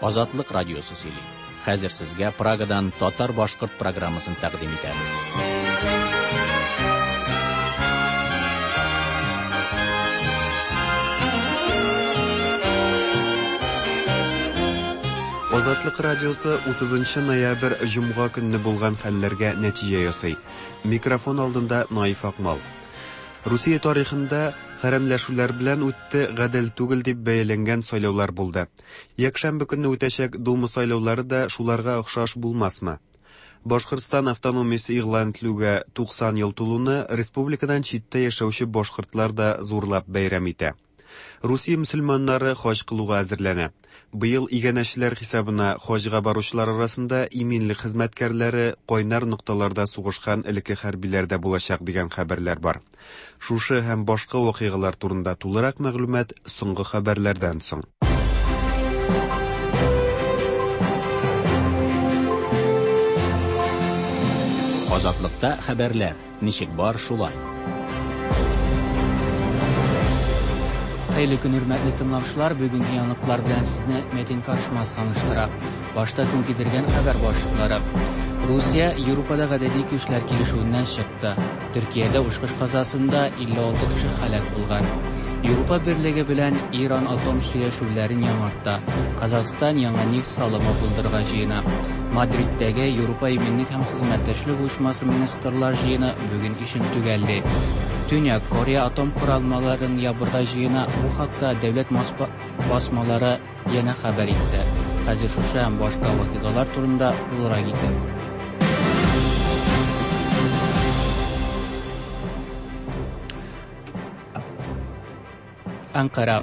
Азатлык радиосы сөйли. Хәзер сезгә Прагадан татар-башкорт программасын тәкъдим итәбез. Азатлык радиосы 30 ноябрь җомга көнне булган хәлләргә нәтиҗә ясый. Микрофон алдында Наиф Акмал. Русия тарихында хәрәмләшүләр белән үтте, гадел түгел дип бәяләнгән сайлаулар булды. Якшәмбе көнне үтәчәк Дума сайлаулары да шуларга охшаш булмасмы? Башкортстан автономиясе игълан ителүгә 90 ел тулуны республикадан читтә яшәүче башкортлар да зурлап бәйрәм итә. Русия мөселманнары хаҗ кылуга әзерләнә. Быел иганәчеләр хисабына хаҗга баручылар арасында иминлек хезмәткәрләре, кайнар нокталарда сугышкан элекке хәрбиләр дә булачак дигән хәбәрләр бар. Шушы һәм башка вакыйгалар турында тулырак мәгълүмат соңгы хәбәрләрдән соң. Азатлыкта хәбәрләр ничек бар шулай. Хәерле көн, хөрмәтле тыңлаучылар. Бүгенге яңалыклар белән сезне Мәтин Каршмас таныштыра. Башта көн кидергән хәбәр башлыклары. Русия Европада гадәти көчләр килешүеннән чыкты. Төркиядә очкыч казасында 56 кеше һәлак булган. Европа Берлеге белән Иран атом сөйләшүләрен яңарта. Казахстан яңа нефть салымы булдырырга җыена. Мадридтәге Европа иминлек һәм хезмәттәшлек оешмасы министрлар җыены бүген эшен төгәлли. Төньяк Корея атом коралмаларын ябырга җыена. Бу хакта дәүләт басмалары янә хәбәр итте. Хәзер шушы һәм башка вакыйгалар турында тулырак итеп. Анкара.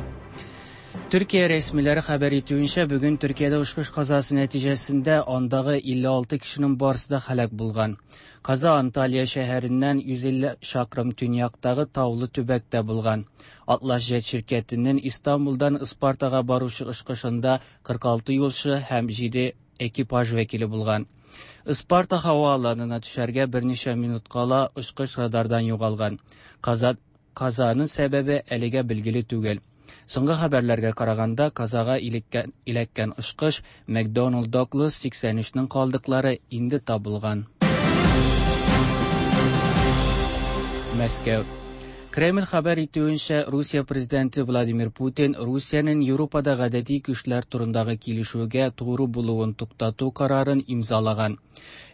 Төркия рәсмиләре хәбәр итүенчә, бүген Төркиядә очкыч казасы нәтиҗәсендә андагы 56 кешенең барысы да һәлак булган. Каза Анталия шәһәреннән 150 чакрым төньяктагы таулы төбәктә булган. Атлас җет ширкәтенең Истанбулдан Ыспартага баручы очкычында 46 юлчы һәм 7 экипаж вәкиле булган. Ыспарта һава аланына төшәргә берничә минут кала очкыч радардан югалган. Каза Казаның сәбәбе әлегә билгеле түгел. Соңгы хәбәрләргә караганда, казага иләккән очкыч McDonnell Douglas 83-нең калдыклары инде табылган. Мәскәү. Кремль хәбәр итүенчә, Русия президенты Владимир Путин Русиянең Европада гадәти көчләр турындагы килешүгә тугры булуын туктату карарын имзалаган.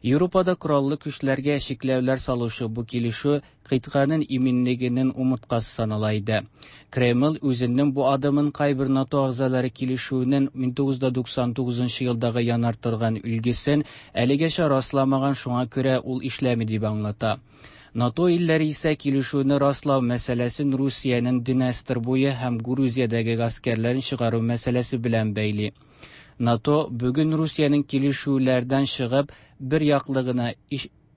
Европада кораллы көчләргә чикләүләр салучы бу килешү кыйтганың иминлегенең умырткасы санала иде. Кремль үзенең бу адымын кайбер НАТО әгъзалары килешүенең 1999 елдагы янартылган өлгесен әлегәчә расламаган, шуңа күрә ул эшләми дип аңлата. НАТО илләре исә килешүне раслау мәсьәләсен Русиянең Днестр буе һәм Грузиядәге гаскәрләрен чыгару мәсьәләсе белән бәйли. НАТО бүген Русиянең килешүләрдән чыгып, бер яклы гына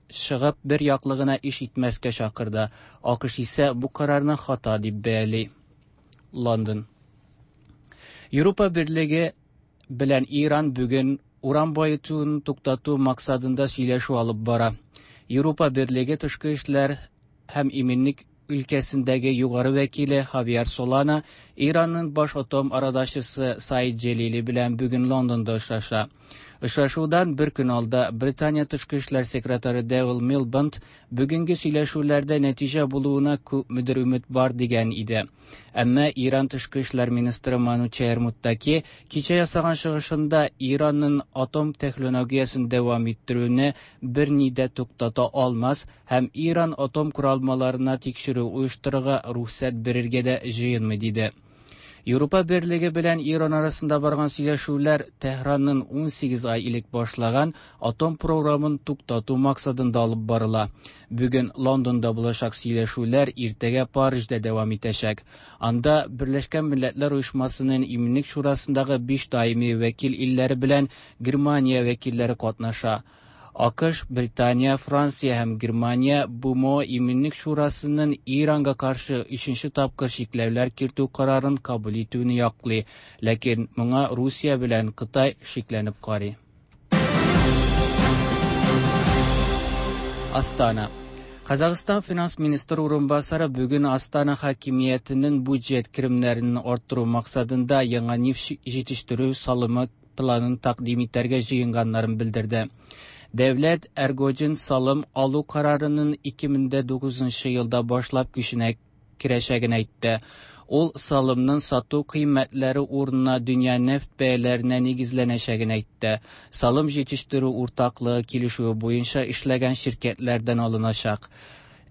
чыгып, бер яклы гына эш итмәскә чакырды. АКШ исә бу карарны хата дип бәяли. Лондон. Европа Берлеге белән Иран бүген уран баетуын туктату максатында сөйләшү алып бара. Европа Берлеге тышкы эшләр һәм иминлек өлкәсендәге югары вәкиле Хавьер Солана Иранның баш атом арадашчысы Саид Джелили белән бүген Лондонда очраша. Очрашудан бер көн алда Британия тышкы эшләр секретаре Дэвил Милбанд бүгенге сөйләшүләрдә нәтиҗә булуына күпмедер өмет бар дигән иде. Әмма Иран тышкы эшләр министры Манучехр Муттаки кичә ясаган чыгышында Иранның атом технологиясен дәвам иттерүне берни дә туктата алмас һәм Иран атом коралмаларына тикшерү оештырырга рөхсәт бирергә дә җыенмый диде. Европа Берлеге белән Иран арасында барган сөйләшүләр Тәһранның 18 ай элек башлаган атом програмын туктату максатында алып барыла. Бүген Лондонда булачак сөйләшүләр иртәгә Парижда дәвам итәчәк. Анда Берләшкән Милләтләр Оешмасының Иминлек Шурасындагы 5 даими вәкил илләре белән Германия вәкилләре катнаша. АКШ, Британия, Франция һәм Германия БМО Иминлек Шурасының Иранга каршы өченче тапкыр чикләүләр кертү карарын кабул итүне яклый, ләкин моңа Русия белән Кытай шикләнеп карый. Астана. Казахстан финанс министры урынбасары бүген Астана хакимиятенең бюджет керемнәрен арттыру максатында яңа нефть җитештерү салымы планын тәкъдим итәргә җыенганнарын белдерде. Дәүләт Эргоҗин салым алу карарының 2009 елда башлап көченә керәчәген әйтте. Ул салымның сату кыйммәтләре урынына дөнья нефть бәяләренә нигезләнәчәген әйтте. Салым җитештерү уртаклыгы килешүе буенча эшләгән ширкәтләрдән алыначак.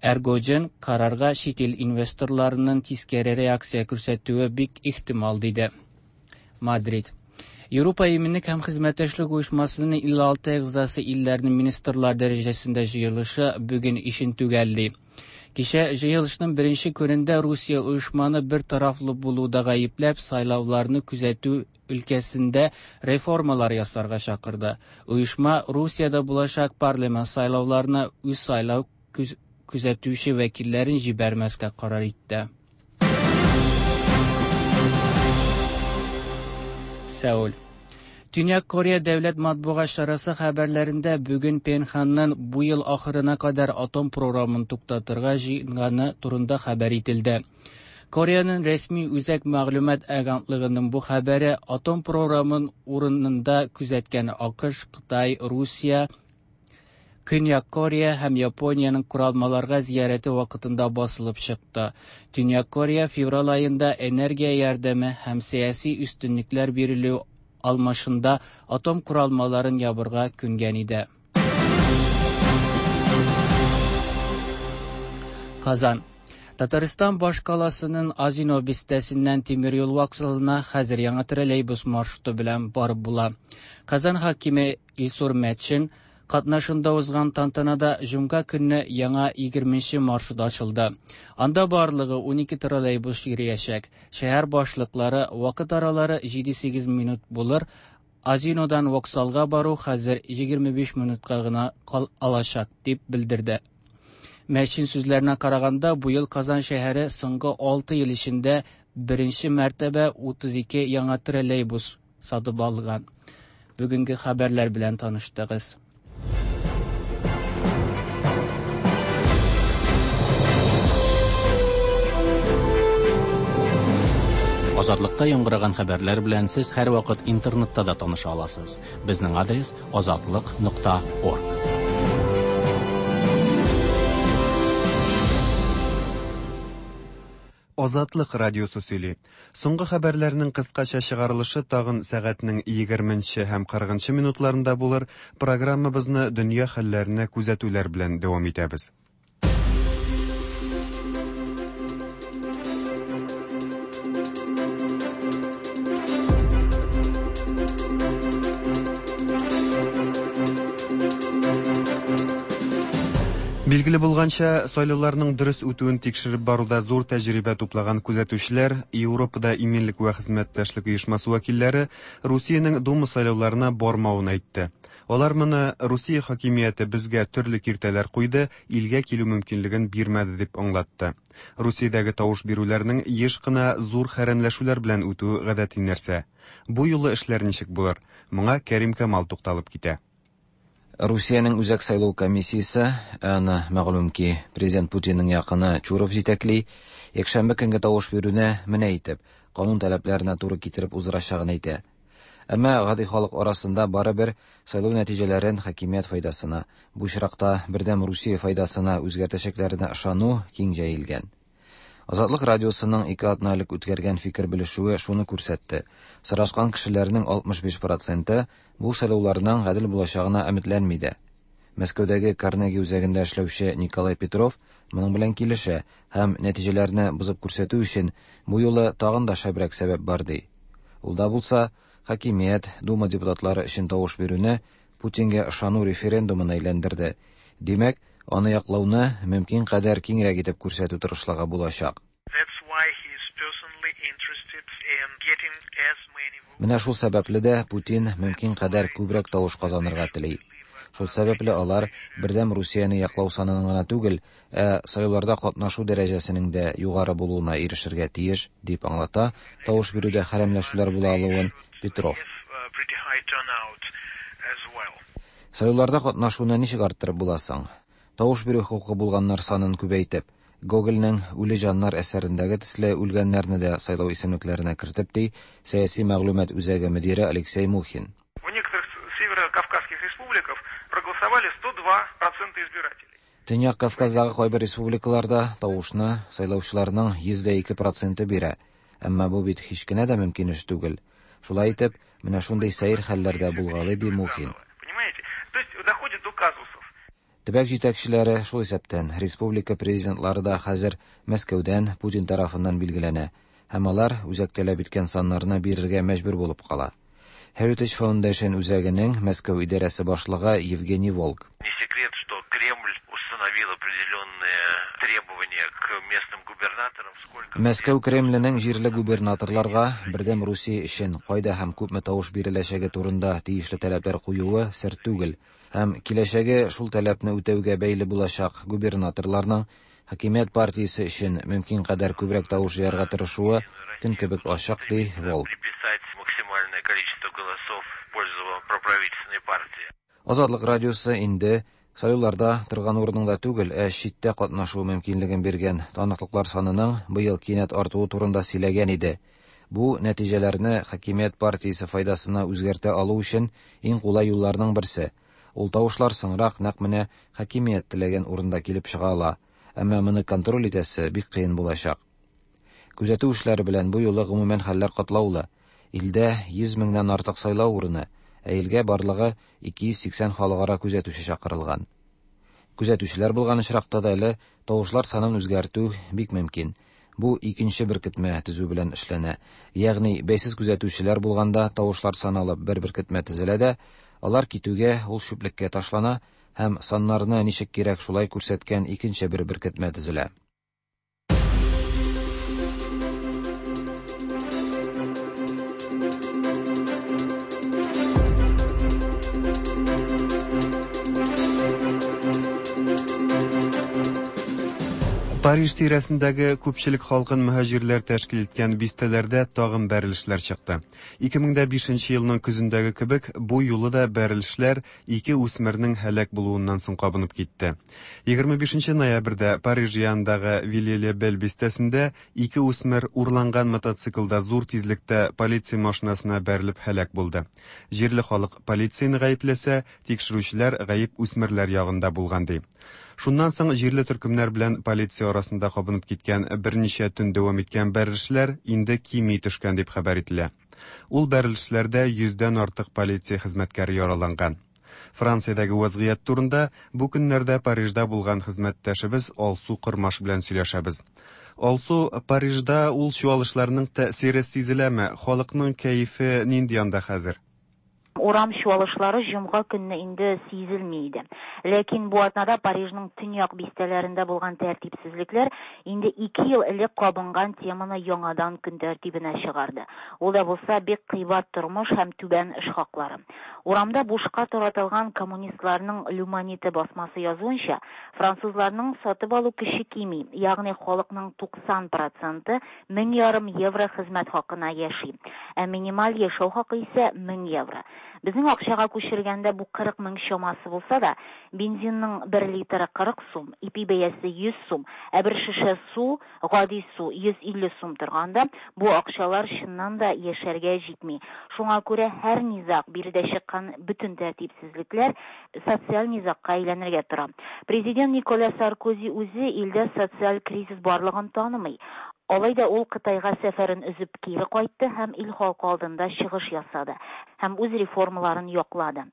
Эргоҗин карарга чит ил инвесторларының тискәре реакция күрсәтүе бик ихтимал диде. Мадрид. Европа иминлек һәм хезмәттәшлек оешмасының 56 әгъзасы илләрнең министрлар дәрәҗәсендә җыелышы бүген ишен төгәлли. Кичә җыелышның беренче көнендә Русия оешманы бер тарафлы булуда гаепләп сайлауларны күзәтү өлкәсендә реформалар ясарга чакырды. Оешма Русиядә булачак парламент сайлауларына үз сайлау күзәтүче вәкилләрен җибәрмәскә карар итте. Сеул. Төньяк Корея дәүләт матбугат чарасы хәбәрләрендә бүген Пенханның бу ел ахырына кадәр атом програмын туктатырга җыенганы турында хәбәр ителде. Кореяның рәсми үзәк мәгълүмат агентлыгының бу хәбәре атом програмын урынында күзәткән АКШ, Кытай, Русия, Көньяк Корея һәм Япониянең коралмаларга зиярәте вакытында басылып чыкты. Төньяк Корея февраль аенда энергия ярдәме һәм сәяси өстенлекләр бирелү алмашында атом коралмаларын ябырга күнгән иде. Казан. Татарстан башкаласының Азино бистәсеннән тимер юл вокзалына хәзер яңа троллейбус маршруты белән барып була. Казан хакиме Илсур Метшин катнашында узган тантанада җомга көнне яңа 20 маршрут ачылды. Анда барлыгы 12 троллейбус йөриячәк. Шәһәр башлыклары вакыт аралары 7-8 минут булыр. Азинодан вокзалга бару хәзер 25 минутка гына кал алачак, дип белдерде. Мәчин сүзләренә караганда, бу ел Казан шәһәре соңгы 6 ел эчендә беренче мәртәбә 32 яңа троллейбус сатып алган. Бүгенге хәбәрләр белән таныштыгыз. Азатлыкта яңгыраган хәбәрләр белән сез һәрвакыт интернетта да таныша аласыз. Безнең адрес azatliq.org. Азатлык радиосы сөйли. Соңгы хәбәрләрнең кыскача чыгарылышы тагын сәгатьнең 20 һәм 40 минутларында булыр. Программабызны дөнья хәлләренә күзәтүләр белән дәвам итәбез. Билгеле булганча, сайлауларның дөрес үтүен тикшереп баруда зур тәҗрибә туплаган күзәтүчеләр, Европада иминлек вә хезмәттәшлек оешмасы вәкилләре Русиянең Дума сайлауларына бармавын әйтте. Алар моны Русия хакимияте безгә төрле киртәләр куйды, илгә килү мөмкинлеген бирмәде дип аңлатты. Русиядәге тавыш бирүләрнең еш кына зур хәрәмләшүләр белән үтүе гадәти нәрсә. Бу юлы эшләр ничек булыр? Моңа Кәрим Камал тукталып китә. Русиянең Үзәк сайлау комиссиясе, аны мәгълүм ки, президент Путинның якыны Чуров җитәкли, якшәмбе көнге тавыш бирүне менә итеп, канун таләпләренә туры китереп уздырачагын әйтә. Әмма гади халык арасында барыбер сайлау нәтиҗәләрен хакимият файдасына, бу очракта Бердәм Русия файдасына үзгәртәчәкләренә ышану киң җәелгән. Азатлык радиосының ике атна элек үткәргән фикер белешүе шуны күрсәтте. Сорашкан кешеләрнең 65%-ы бу сайлауларның гадел булачагына өметләнми дә. Мәскәүдәге Карнеги үзәгендә эшләүче Николай Петров моның белән килешә һәм нәтиҗәләрне бозып күрсәтү өчен бу юлы тагын да шәбрәк сәбәп бар ди. Ул да булса, хакимият Дума депутатлары өчен тавыш бирүне Путингә ышану референдумына әйләндерде. Димәк, аны яклауны мөмкин кадәр киңрәк итеп күрсәтү тырышлыгы булачак. Менә шул сәбәпле дә Путин мөмкин кадәр күбрәк тавыш казанырга тели. Шул сәбәпле алар Бердәм Русияне яклау санының гына түгел, ә сайлауларда катнашу дәрәҗәсенең дә югары булуына ирешергә тиеш, дип аңлата тавыш бирүдә хәрәмләшүләр була алуын Петров. Сайлауларда катнашуны ничек арттырып була соң? Тавыш бирү хокукы булганнар санын күбәйтеп. Гогольнең Үле җаннар әсәрендәге төсле үлгәннәрне дә сайлау исемлекләренә кертеп, ди сәяси мәгълүмат үзәге мөдире Алексей Мухин. В некоторых северо-кавказских республиках проголосовали 102% избирателей. Төньяк Кавказдагы кайбер республикаларда тавышны сайлаучыларның 102 проценты бирә. Әмма бу бит һич кенә дә мөмкин эш түгел. Шулай итеп, менә шундый сәер хәлләр дә булгалый, ди Мухин. Понимаете? То есть доходит до казусов. Төбәк җитәкчеләре, шул исәптән республика президентлары да хәзер Мәскәүдән, Путин тарафыннан билгеләнә һәм алар үзәк таләп иткән саннарны бирергә мәҗбүр булып кала. Heritage Foundation үзәгенең Мәскәү идарәсе башлыгы Евгений Волк. Не секрет, что Кремль установил определенные требования к местным губернаторам. Сколько Мәскәү Кремленең җирле губернаторларга Бердәм Русия өчен кайда һәм күпме тавыш биреләчәге турында тиешле таләпләр куюы сер түгел. Һәм киләчәге шул таләпне үтәүгә бәйле булачак губернаторларның хакимият партиясе өчен мөмкин кадәр күбрәк тавыш җыярга тырышуы көн кебек ачык, ди Волк. Приписать максимальное количество голосов в пользу проправительственной партии. Азатлык радиосы инде сайлауларда торган урыныңда түгел, ә читтә катнашу мөмкинлеген биргән таныклыклар санының быел кинәт артуы турында сөйләгән иде. Бу нәтиҗәләрне хакимият партиясе файдасына үзгәртә алу өчен иң кулай юлларның берсе. Ул тавышлар соңрак нәкъ менә хакимият теләгән урында килеп чыга ала. Әмма моны контроль итәсе бик кыен булачак. Күзәтү эшләре белән бу юлы гомумән хәлләр катлаулы. Илдә 100 меңнән артык сайлау урыны, ә илгә барлыгы 280 халыкара күзәтүче чакырылган. Күзәтүчеләр булган очракта да әле тавышлар санын үзгәртү бик мөмкин. Бу икенче беркетмә төзү белән эшләнә. Ягъни бәйсез күзәтүчеләр булганда тавышлар саналып бер беркетмә төзелә дә, алар китүгә ул чүплеккә ташлана һәм саннарны ничек кирәк шулай күрсәткән икенче бер беркетмә төзелә. Париж тирәсендәге күпчелек халкын мөһаҗирләр тәшкил иткән бистәләрдә тагын бәрелешләр чыкты. 2005 елның көзендәге кебек, бу юлы да бәрелешләр ике үсмернең һәлак булуыннан соң кабынып китте. 25 ноябрьдә Париж янындагы Вилье-ле-Бел бистәсендә ике үсмер урланган мотоциклда зур тизлектә полиция машинасына бәрелеп һәлак булды. Җирле халык полицияне гаепләсә, тикшерүчеләр гаеп үсмерләр ягында булган ди. Шуннан соң җирле төркемнәр белән полиция арасында кабынып киткән берничә төн дәвам иткән бәрелешләр инде кими төшкән дип хәбәр ителә. Ул бәрелешләрдә 100дән артык полиция хезмәткәре яраланган. Франциядәге вазгыять турында бу көннәрдә Парижда булган хезмәттәшебез Алсу Кормаш белән сөйләшәбез. Алсу, Парижда ул чуалышларның тәэсире сизеләме? Халыкның кәефе нинди анда хәзер? Урам чуалышлары җомга көнне инде сизелми иде. Ләкин бу атнада Парижның төньяк бистәләрендә булган тәртипсезлекләр инде 2 ел элек кабынган теманы яңадан көн тәртибенә чыгарды. Ул да булса бик кыйбат тормыш һәм түбән эш хаклары. Урамда бушка таратылган коммунистларның L'Humanité басмасы язуынча, французларның сатып алу көче кими, ягъни халыкның 90% 1500 евро хезмәт хакына яши. Ә минималь яшәү хакы исә 1000 евро. Безнең акчага күчергәндә бу 40 мең чамасы булса да, бензинның 1 литры 40 сум, ипи бәясе 100 сум, ә бер шешә су, гади су 150 сум торганда, бу акчалар чыннан да яшәргә җитми. Шуңа күрә һәр низаг, биредә чыккан бөтен тәртипсезлекләр социаль низагка әйләнергә тора. Президент Николя Саркози үзе илдә социаль кризис барлыгын танымый. Алай да ул Кытайга сәфәрен өзеп кире кайтты һәм ил халкы алдында чыгыш ясады һәм үз реформаларын яклады.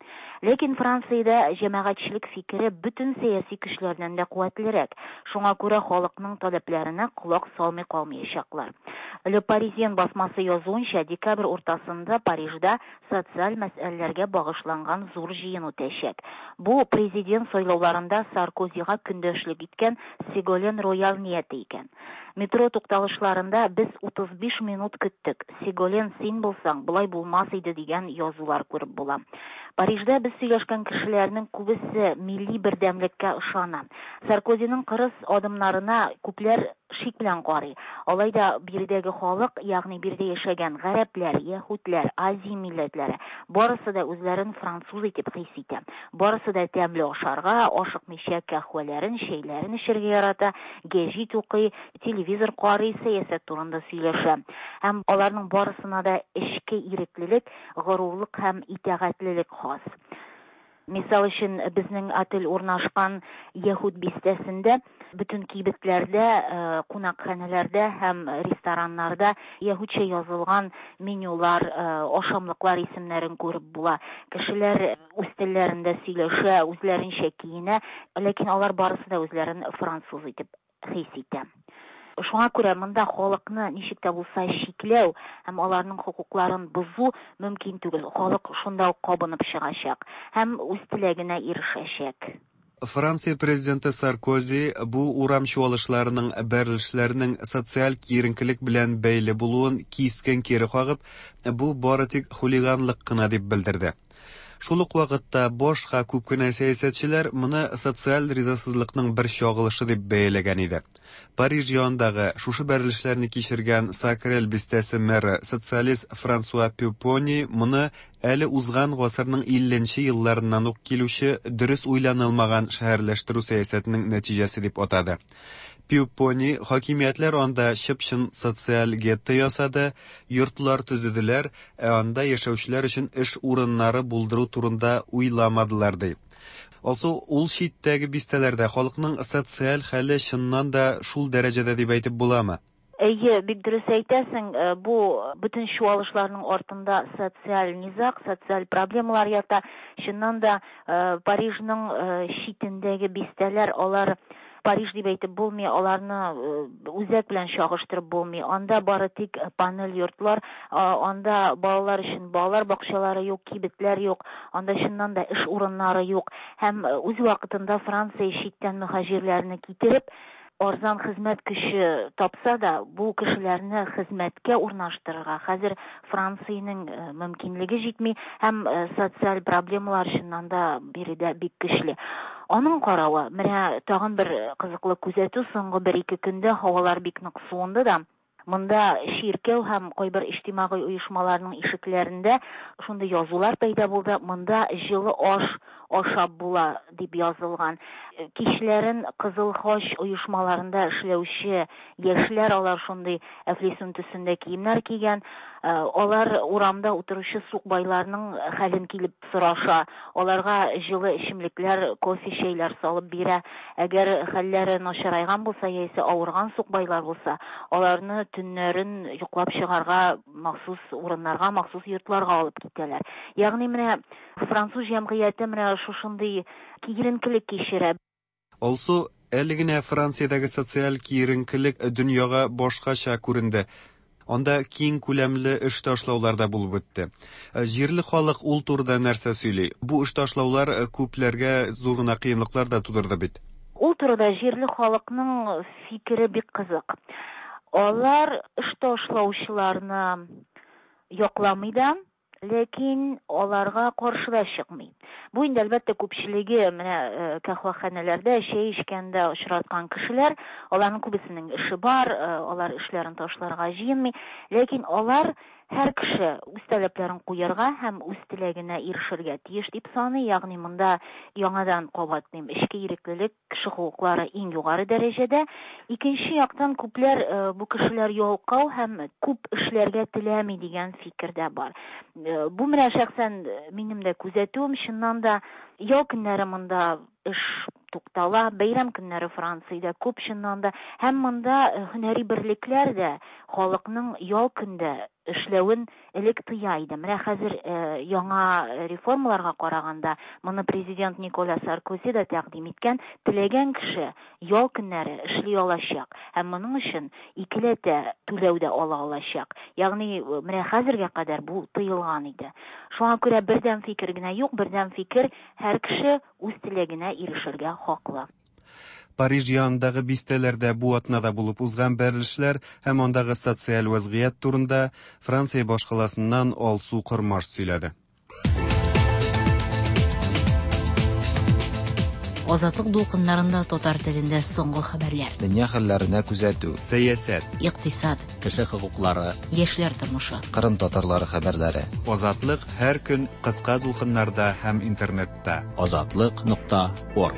Ләкин Франциядә җәмәгатьчелек фикере бөтен сәяси көчләрдән дә куәтлерәк. Шуңа күрә халыкның таләпләренә колак салмый калмаячаклар. Le Parisien басмасы язуынча, декабрь уртасында Парижда социаль мәсьәләләргә багышланган зур җыен үтәчәк. Бу президент сайлауларында Саркозига көндәшлек иткән Сеголен Роял нияте икән. Метро тукталышларында без 35 минут көттек. Сеголен, син булсаң, болай булмас иде дигән язулар күреп була. Парижда без сөйләшкән кешеләрнең күбесе милли бердәмлеккә ышана. Саркозиның кырыс адымнарына күпләр шик белән карый. Алай да биредәге халык, ягъни биредә яшәгән гарәпләр, яһүдләр, Азия милләтләре, барысы да үзләрен француз итеп хис итә. Барысы да тәмле ашарга, ашыкмыйча каһвәләрен, чәйләрен эчәргә ярата, гәҗит укый, телевизор карый, сәясәт турында сөйләшә. Һәм аларның барысына да эчке иреклелек, горурлык һәм итагатьлелек хас. Мисал өчен, безнең отель урнашкан Яһүд бистәсендә бөтен кибетләрдә, кунакханәләрдә һәм рестораннарда яһүдчә язылган менюлар, ашамлыклар исемнәрен күреп була. Кешеләр үз телләрендә сөйләшә, үзләренчә киенә, ләкин алар барысы да үзләрен француз итеп хис итә. Шуңа күрә монда халыкны ничек тә булса чикләү һәм аларның хокукларын бозу мөмкин түгел. Халык шунда ук кабынып чыгачак һәм үз теләгенә ирешәчәк. Франция президенты Саркози бу урам чуалышларының, бәрелешләрнең социаль киеренкелек белән бәйле булуын кискен кире кагып, бу бары тик хулиганлык кына дип белдерде. Шул ук вакытта башка күп кенә сәясәтчеләр моны социаль ризасызлыкның бер чагылышы дип бәяләгән иде. Париж янындагы шушы бәрелешләрне кичергән Сакрель бистәсе мэры социалист Франсуа Пюпони моны әле узган гасырның 50 нче елларыннан ук килүче дөрес уйланылмаган шәһәрләштерү сәясәтенең нәтиҗәсе дип атады. Пюпони, хакимиятләр анда чып-чын социаль гетто ясады, йортлар төзеделәр, ә анда яшәүчеләр өчен эш урыннары булдыру турында уйламадылар, ди. Алсу, ул читтәге бистәләрдә халыкның социаль хәле чыннан да шул дәрәҗәдә дип әйтеп буламы? Әйе, бик дөрес әйтәсең, бу бөтен чуалышларның артында социаль низаг, социаль проблемалар ята. Чыннан да, Парижның читендәге бистәләр, алар Париж дип әйтеп булмый, аларны үзәк белән чагыштырып булмый. Анда бары тик панель йортлар, анда балалар өчен балалар бакчалары юк, кибетләр юк, анда чыннан да эш урыннары юк. Һәм үз вакытында Франция читтән мөһаҗирләрне китереп, арзан хезмәт көче тапса да, бу кешеләрне хезмәткә урнаштырырга хәзер Франциянең мөмкинлеге җитми һәм социаль проблемалар чыннан да биредә бик көчле. Аның каравы, менә тагын бер кызыклы күзәтү, соңгы бер-ике көндә һавалар бик нык суынды да, Монда чиркәү һәм кайбер иҗтимагый оешмаларның ишекләрендә шундый язулар пәйда булды, монда җылы аш ашап була дип язылган. Кичләрен Кызыл Хач оешмаларында эшләүче яшьләр, алар шундый әфлисун төсендә киемнәр кигән, алар урамда утыручы сукбайларның хәлен килеп сораша, аларга җылы эчемлекләр, кофе, чәйләр салып бирә. Әгәр хәлләре начарайган булса яисә авырган сукбайлар булса, аларны төннәрен йоклап чыгарга махсус урыннарга, махсус йортларга алып китәләр. Ягъни менә француз җәмгыяте менә шушындый киеренкелек кичерә. Алсу, әле генә Франциядәге социаль киеренкелек дөньяга башкача күренде. Анда киң күләмле эш ташлаулар да булып үтте. Җирле халык ул турыда нәрсә сөйли? Бу эш ташлаулар күпләргә зур гына кыенлыклар да тудырды бит. Ул турыда җирле халыкның фикере бик кызык. Алар эш ташлаучыларны якламый да, Ләкин аларга каршы да чыкмый. Бу инде, әлбәттә, күпчелеге менә каһвәханәләрдә чәй эчкәндә очраткан кешеләр, аларның күбесенең эше бар, алар эшләрен ташларга җыенмый. Ләкин алар һәр кеше үз таләпләрен куярга һәм үз теләгенә ирешергә тиеш дип саный. Ягъни монда яңадан кабатлыйм, эчке иреклелек, Кеше хокуклары иң югары дәрәҗәдә. Икенче яктан, күпләр бу кешеләр ялкау һәм күп эшләргә теләми дигән фикер дә бар. Бу менә шәхсән минем дә күзәтүем, чыннан да ял көннәре монда эш туктала, бәйрәм көннәре Франциядә күп чыннан да. Һәм монда һөнәри берлекләр дә халыкның ял көндә эшләвен элек тыя иде. Менә хәзер яңа реформаларга караганда, моны президент Николя Саркози да тәкъдим иткән, теләгән кеше ял көннәре эшли алачак һәм моның өчен икеләтә түләү дә ала алачак. Ягъни менә хәзергә кадәр бу тыелган иде. Шуңа күрә бердәм фикер генә юк, бердәм фикер, һәр кеше үз теләгенә ирешергә хаклы. Париж янындагы бистәләрдә бу атнада булып узган бәрелешләр һәм андагы социаль вәзгыять турында Франция башкаласыннан Алсу Кормаш сөйләде. Азатлык дулкыннарында татар телендә соңгы хәбәрләр. Дөнья хәлләренә күзәтү. Сәясәт. Икътисад. Кеше хокуклары. Яшьләр тормышы. Кырым татарлары хәбәрләре. Азатлык һәр көн кыска дулкыннарда һәм интернетта. Азатлык нокта орг.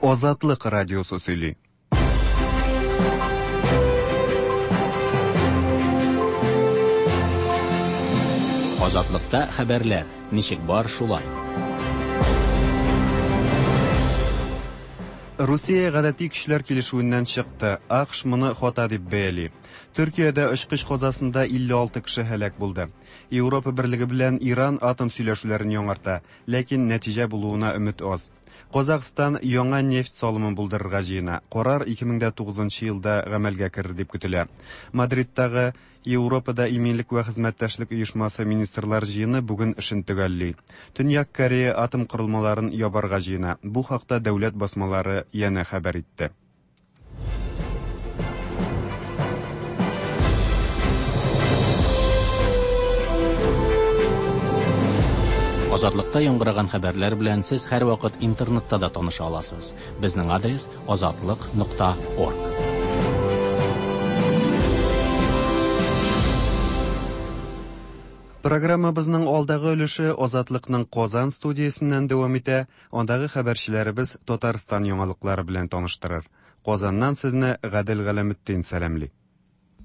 Азатлык радиосы сөйли. Азатлыкта хәбәрләр ничек бар шулай. Русия гадәти көчләр килешүеннән чыкты. АКШ моны хата дип бәяли. Төркиядә очкыч казасында 56 кеше һәлак булды. Европа берлеге белән Иран атом сөйләшүләрен яңарта, ләкин нәтиҗә булуына өмет аз. Казахстан яңа нефть салымын булдырырга җыена. Карар 2009 елда гамәлгә керер дип көтелә. Мадридтагы Европада иминлек вә хезмәттәшлек оешмасы министрлар җыены бүген эшен төгәлли. Төньяк Корея атом корылмаларын ябарга җыена. Бу хакта дәүләт басмалары янә хәбәр итте. Азатлыкта яңгыраган хәбәрләр белән сез һәрвакыт интернетта да таныша аласыз. Безнең адрес азатлык.орг. Программабызның алдагы өлеше Азатлыкның Казан студиясеннән дәвам итә. Андагы хәбәрчеләребез Татарстан яңалыклары белән таныштырыр. Казаннан сезне Гадел Галәметдин сәламли.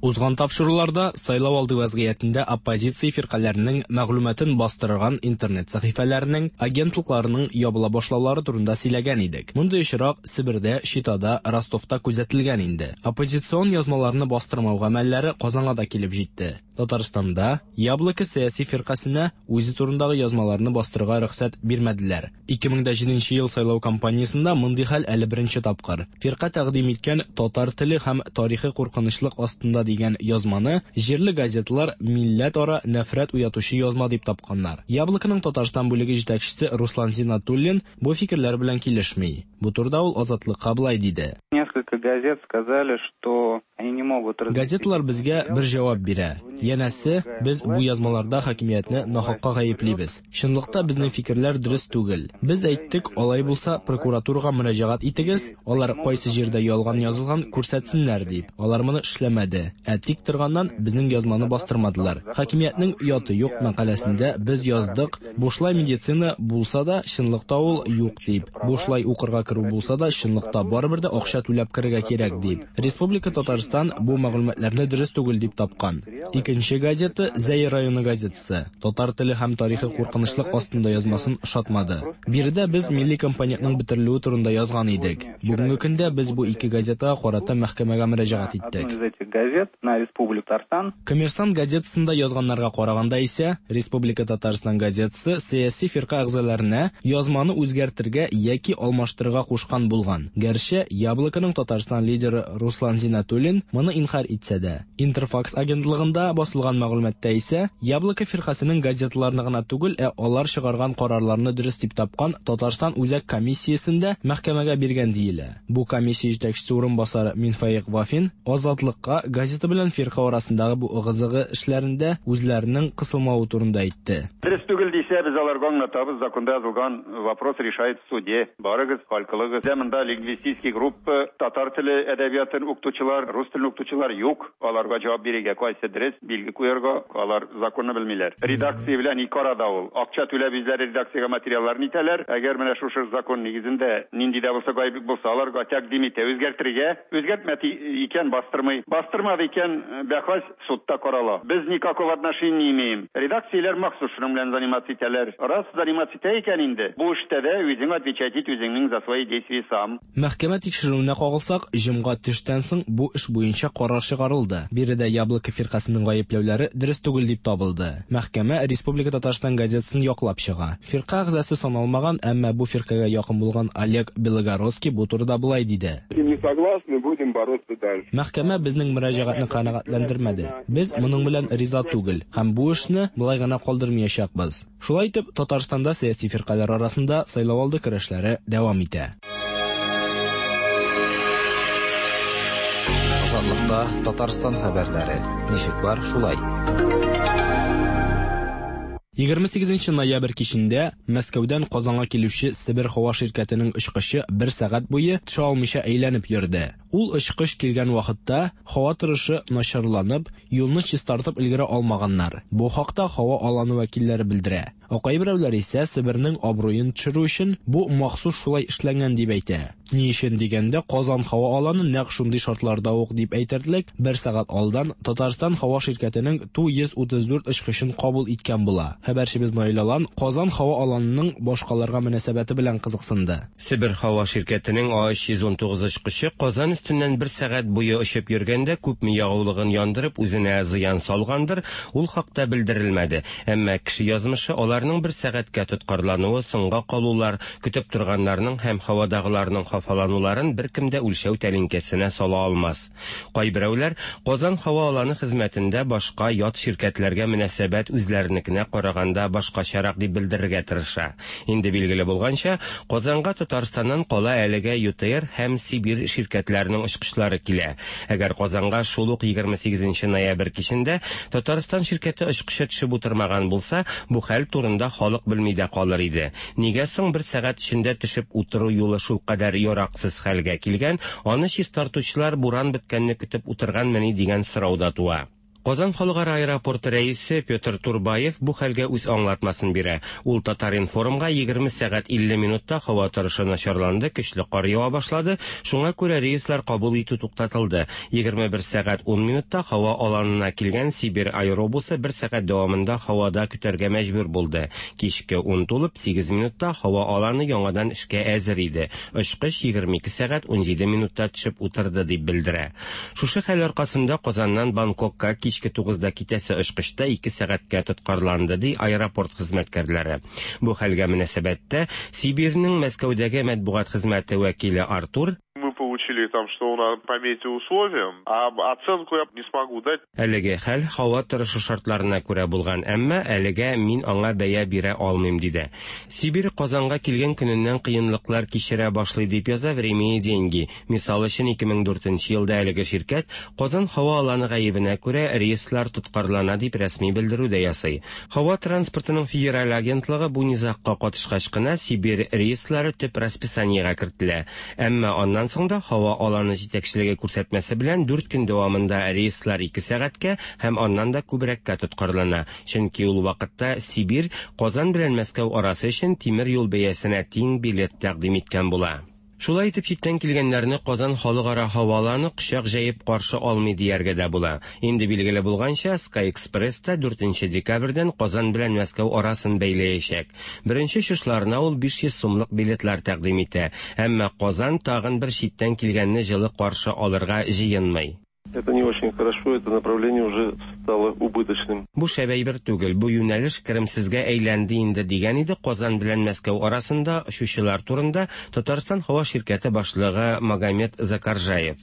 Узган тапшыруларда сайлау алды вәзгыятендә оппозиция фиркаләренең мәгълүматын бастырган интернет сәхифәләренең агентлыкларының ябыла башлаулары турында сөйләгән идек. Мондый очрак Себердә, Читада, Ростовта күзәтелгән инде. Оппозицион язмаларны бастырмау гамәлләре Казанга да килеп җитте. Татарстанда Яблоко сәяси фиркасенә үзе турындагы язмаларны бастырырга рөхсәт бирмәделәр. 2007 ел сайлау кампаниясендә мондый хәл әле беренче тапкыр. Фирка тәкъдим иткән татар теле һәм тарихы куркынычлык астында дигән язманы җирле газеталар милләт-ара нәфрәт уятучы язма дип тапканнар. Яблоконың Татарстан бүлеге җитәкчесе Руслан Зиннатуллин бу фикерләр белән килешми. Бу турыда ул Азатлыкка болай диде. Несколько газет сказали, что они не могут Газеталар безгә бер җавап бирә. Янәсе, без бу язмаларда хакимиятне нахакка гаеплибез. Чынлыкта безнең фикерләр дөрес түгел. Без әйттек, алай булса прокуратурага мөрәҗәгать итегез, алар кайсы җирдә ялган язылган күрсәтсеннәр дип. Алар моны эшләмәде. Ә тик торганнан безнең язманы бастырмадылар. Хакимиятнең ояты юк мәкаләсендә без яздык, бушлай медицина булса да, чынлыкта ул юк дип. Бушлай укырга керү булса да, чынлыкта барыбер дә акча түләп керергә кирәк дип. Республика Татарстан бу мәгълүматларны дөрес түгел дип тапкан. Икенче газета Зәй районы газетасы. Татар теле һәм тарихы куркынычлык астында язмасын ошатмады. Биредә без милли компонентның бетерелүе турында язган идек. Бүгенге көндә без бу ике газетага карата мәхкәмәгә мөрәҗәгать иттек. Одну из этих газет на Республику Татарстан. Коммерсант газетасында язганнарга караганда исә, Республика Татарстан газетасы сәяси фирка әгъзаларына язманы үзгәртергә яки алмаштырырга кушкан булган. Гәрчә Яблоконың Татарстан лидеры Руслан Зиннатуллин моны инкарь итсә дә. Интерфакс агентлыгында басылган мәгълүматта исә Яблоко фиркасының газеталарны гына түгел, ә алар чыгарган карарларны дөрес дип тапкан Татарстан Үзәк комиссиясендә мәхкәмәгә биргән диелә. Бу комиссия җитәкчесе урынбасары Минфаик Вафин Азатлыкка газета белән фирка арасындагы бу ыгы-зыгы эшләрендә үзләренең кысылмавы турында әйтте. Дөрес түгел дисә, без аларга аңлатабыз, законда язылган вопрос решает в суде. Барыгыз, хәл кылыгыз. Бездә монда лингвистический группа, татар теле әдәбиятын укытучылар, рус телен укытучылар юк. Аларга җавап бирергә кайсы дөрес, билге куярга, алар законны белмиләр. Редакция белән ике арада ул. Акча түләп үзләре редакциягә материалларын итәләр. Әгәр менә шушы закон нигезендә нинди дә булса гаеплек булса, аларга тәкъдим итә үзгәртергә. Үзгәртмәде икән, бастырмый. Бастырмады икән, бәхәс судта карала. Без никакого отношения не имеем. Редакцияләр махсус шуның белән заниматься итәләр. Раз заниматься итә икән инде, бу эштә дә үзең отвечать ит үзеңнең за свои действия сам. Мәхкәмә тикшерүенә кагылсак, җомга төштән соң бу эш буенча карар чыгарылды. Биредә Яблоко фиркасының гаепләүләре дөрес түгел дип табылды. Мәхкәмә Республика Татарстан газетасын яклап чыга. Фирка әгъзасы саналмаган, әмма бу фиркагә якын булган Олег Белогородский бу турыда болай диде. Не согласны, будем бороться дальше. Мәхкәмә безнең мөрәҗәгатьне канәгатьләндермәде. Без моның белән риза түгел һәм бу эшне болай гына калдырмаячакбыз. Шулай итеп, Татарстанда сәяси фиркаләр арасында сайлау алды көрәшләре дәвам итә. Азатлыкта Татарстан хәбәрләре. Ничек бар, шулай. 28 ноябрь кичендә Мәскәүдән Казанга килүче Себер һава ширкәтенең очкычы бер сәгать буе төшә алмыйча әйләнеп йөрде. Ул очкыч килгән вакытта һава торышы начарланып, юлны чистартып өлгерә алмаганнар. Бу хакта һава аланы вәкилләре белдерә. Ә кайберәүләр исә Себернең абруен төшерү өчен бу махсус шулай эшләнгән дип әйтә. Ни өчен дигәндә, Казан һава аланы нәкъ шундый шартларда ук дип әйтерлек, бер сәгать алдан Татарстан һава ширкәтенең Ту-134 очкычын кабул иткән була. Хәбәрчебез Наил Алан Казан һава аланының башкаларга мөнәсәбәте белән кызыксынды. Себер һава ширкәтенең А-319 очкычы Казан өстеннән бер сәгать буе очып йөргәндә күпме ягулыгын яндырып үзенә зыян салгандыр, ул хакта белдерелмәде. Әмма кеше язмышы, аларның бер сәгатькә тоткарлануы, соңга калулар, көтеп торганнарның һәм һавадагыларның хафалануларын беркем дә үлчәү тәлинкәсенә сала алмас. Кайберәүләр Казан һава аланы хезмәтендә башка ят ширкәтләргә мөнәсәбәт үзләренекенә караганда башкачарак дип белдерергә тырыша. Инде билгеле булганча, Казанга Татарстаннан кала әлегә ЮТэйр һәм Сибирь ширкәтләренең очкычлары килә. Әгәр Казанга шул ук 28 ноябрь кичендә Татарстан ширкәте очкычы төшеп утырмаган булса, бу хәл турында халык белми дә калыр иде. Нигә соң бер сәгать эчендә төшеп утыру юлы шулкадәр яраксыз хәлгә килгән, аны чистартучылар буран беткәнне көтеп утырганмыни дигән сорау да туа. Казан халыкара аэропорты рәисе Петр Турбаев бу хәлгә үз аңлатмасын бирә. Ул Татар-информга 20 сәгать 50 минутта һава торышы начарланды, көчле кар ява башлады, шуңа күрә рейслар кабул итү туктатылды. 21 сәгать 10 минутта һава аланына килгән Сибирь аэробусы бер сәгать дәвамында һавада көтәргә мәҗбүр булды. Кичке 10 тулып 8 минутта һава аланы яңадан эшкә әзер иде. Очкыч 22 сәгать 17 минутта төшеп утырды, дип белдерә. Шушы хәл аркасында Казаннан Бангкокка кичке 9-да китәсе очкычта 2 сәгатькә тоткарланды, ди аэропорт хезмәткәрләре. Бу хәлгә мөнәсәбәттә Сибирьнең Мәскәүдәге матбугат хезмәте вәкиле Артур Мы получили там, что у нас по метеоусловиям, а оценку я не смогу дать. Әлеге хәл һава торышы шартларына күрә булган, әмма әлегә мин аңа бәя бирә алмыйм, диде. Сибирь Казанга килгән көненнән кыенлыклар кичерә башлый, дип яза Время и деньги. Мисал өчен, 2004 елда әлеге ширкәт Казан һава аланы гаебенә күрә рейслар тоткарлана дип рәсми белдерү дә ясый. Һава транспортының федераль агентлыгы бу низагка катышкач кына Сибирь рейслары төп расписаниегә кертелә. Әмма аннан соң да һава аланы җитәкчелеге күрсәтмәсе белән 4 көн дәвамында рейслар 2 сәгатькә һәм аннан да күбрәккә тоткарлана. Чөнки ул вакытта Сибирь Казан белән Мәскәү арасы өчен тимер юл бәясенә тиң билет тәкъдим иткән була. Шулай итеп читтән килгәннәрне Казан халыкара һава аланы кочак җәеп каршы алмый дияргә дә була. Инде билгеле булганча, Sky Express та 4 декабрьдән Казан белән Мәскәү арасын бәйләячәк. Беренче очышларына ул 500 сумлык билетлар тәкъдим итә. Әмма Казан тагын бер читтән килгәнне җылы каршы алырга җыенмый. Это не очень хорошо, это направление уже стало убыточным. Бу шәп әйбер түгел, бу юнәлеш керемсезгә әйләнде инде, дигән иде Казан белән Мәскәү арасында очучылар турында Татарстан һава ширкәте башлыгы Магомед Закаржаев.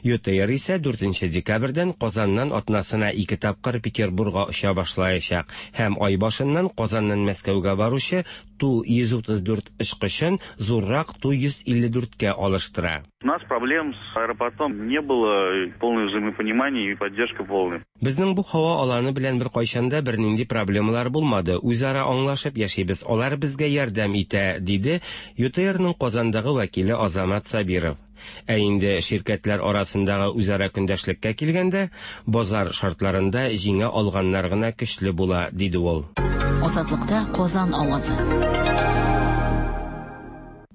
ЮТэйр исә 4 декабрьдән Казаннан атнасына 2 тапкыр Петербургга оча башлаячак һәм ай башыннан Казаннан Мәскәүгә баручы Ту-134 очкычын зуррак Ту-154-кә алыштыра. У нас проблем с аэропортом не было, полное взаимопонимание и поддержка полная. Безнең бу һава аланы белән беркайчан да бернинди проблемалар булмады. Үзара аңлашып яшибез, алар безгә ярдәм итә, диде ЮТРның Казандагы вәкиле Азамат Сабиров. Ә инде ширкәтләр арасындагы үзара көндәшлеккә килгәндә, базар шартларында җиңә алганнар гына көчле була, диде ул. Азатлыкта Казан авазы.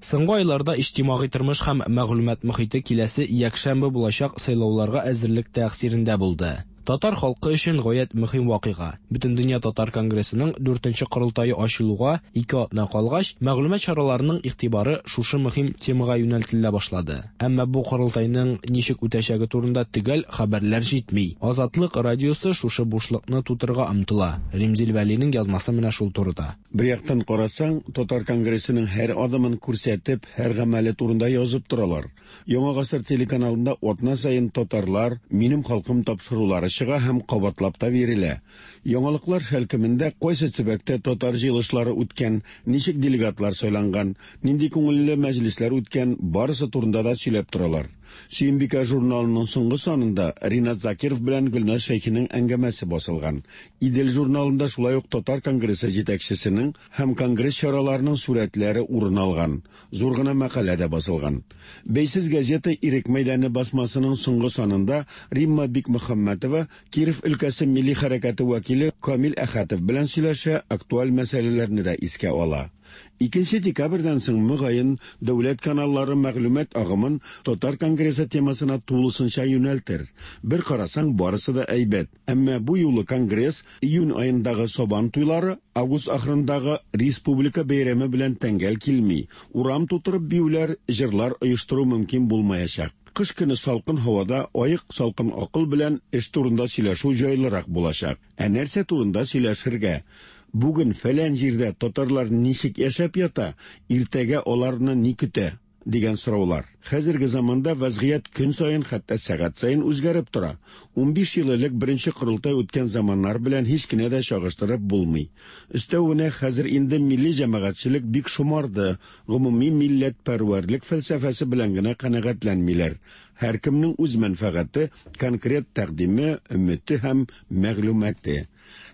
Соңгы айларда иҗтимагый тормыш һәм мәгълүмат мохите киләсе якшәмбе булачак сайлауларга әзерлек тәэсирендә булды. Татар халкы өчен гаять мөһим вакыйга. Бөтендөнья татар конгрессының 4нче корылтае ачылуга 2 атна калгач, мәгълүмат чараларының игътибары шушы мөһим темага юнәлтелә башлады. Әмма бу корылтайның ничек үтәчәге турында төгәл хәбәрләр җитми. Азатлык радиосы шушы бушлыкны тутырырга омтыла. Римзил Вәлинең язмасы менә шул турыда. Бер яктан карасаң, татар конгрессының һәр адымын күрсәтеп, һәр гамәле турында язып торалар. Яңа гасыр телеканалында атна саен татарлар, минем халкым тапшырулары чыга һәм кабатлап та бирелә. Яңалыклар шәлкемендә кайсы төбәктә татар җыелышлары үткән, ничек делегатлар сайланган, нинди күңелле мәҗлесләр үткән, барысы турында да сөйләп торалар. Сөембикә журналының соңгы санында Ринат Закиров белән Гөлназ Шәйхинең әңгәмәсе басылган. Идел журналында шулай ук Татар конгрессы җитәкчесенең һәм конгресс чараларының сурәтләре урын алган. Зур гына мәкалә дә басылган. Бәйсез газета Ирек мәйданы басмасының соңгы санында Римма Бикмөхәммәтова Киров өлкәсе милли хәрәкәте вәкиле Камил Әхәтов белән сөйләшә, актуаль мәсьәләләрне дә искә ала. 2 декабрьдән соң мөгаен дәүләт каналлары мәгълүмат агымын Татар конгрессы темасына тулысынча юнәлтер. Бер карасаң, барысы да әйбәт. Әмма бу юлы конгресс июнь аендагы Сабан туйлары, август ахырындагы республика бәйрәме белән тәңгәл килми. Урам тутырып биюләр, җырлар оештыру мөмкин булмаячак. Кыш көне салкын һавада аек салкын акыл белән эш турында сөйләшү җайлырак булачак. Ә нәрсә турында сөйләшергә? Бүген фәлән җирдә татарлар ничек яшәп ята, иртәгә аларны ни көтә? Дигән сораулар. Хәзерге заманда вазгыять көн саен, хәтта сәгать саен үзгәреп тора. 15 ел элек беренче корылтай үткән заманнар белән һич кенә дә чагыштырып булмый. Өстәвенә хәзер инде милли җәмәгатьчелек бик шомарды, гомуми милләтпәрвәрлек фәлсәфәсе белән генә канәгатьләнмиләр. Һәркемнең үз мәнфәгате, конкрет тәкъдиме, өмете һәм мәгълүматы.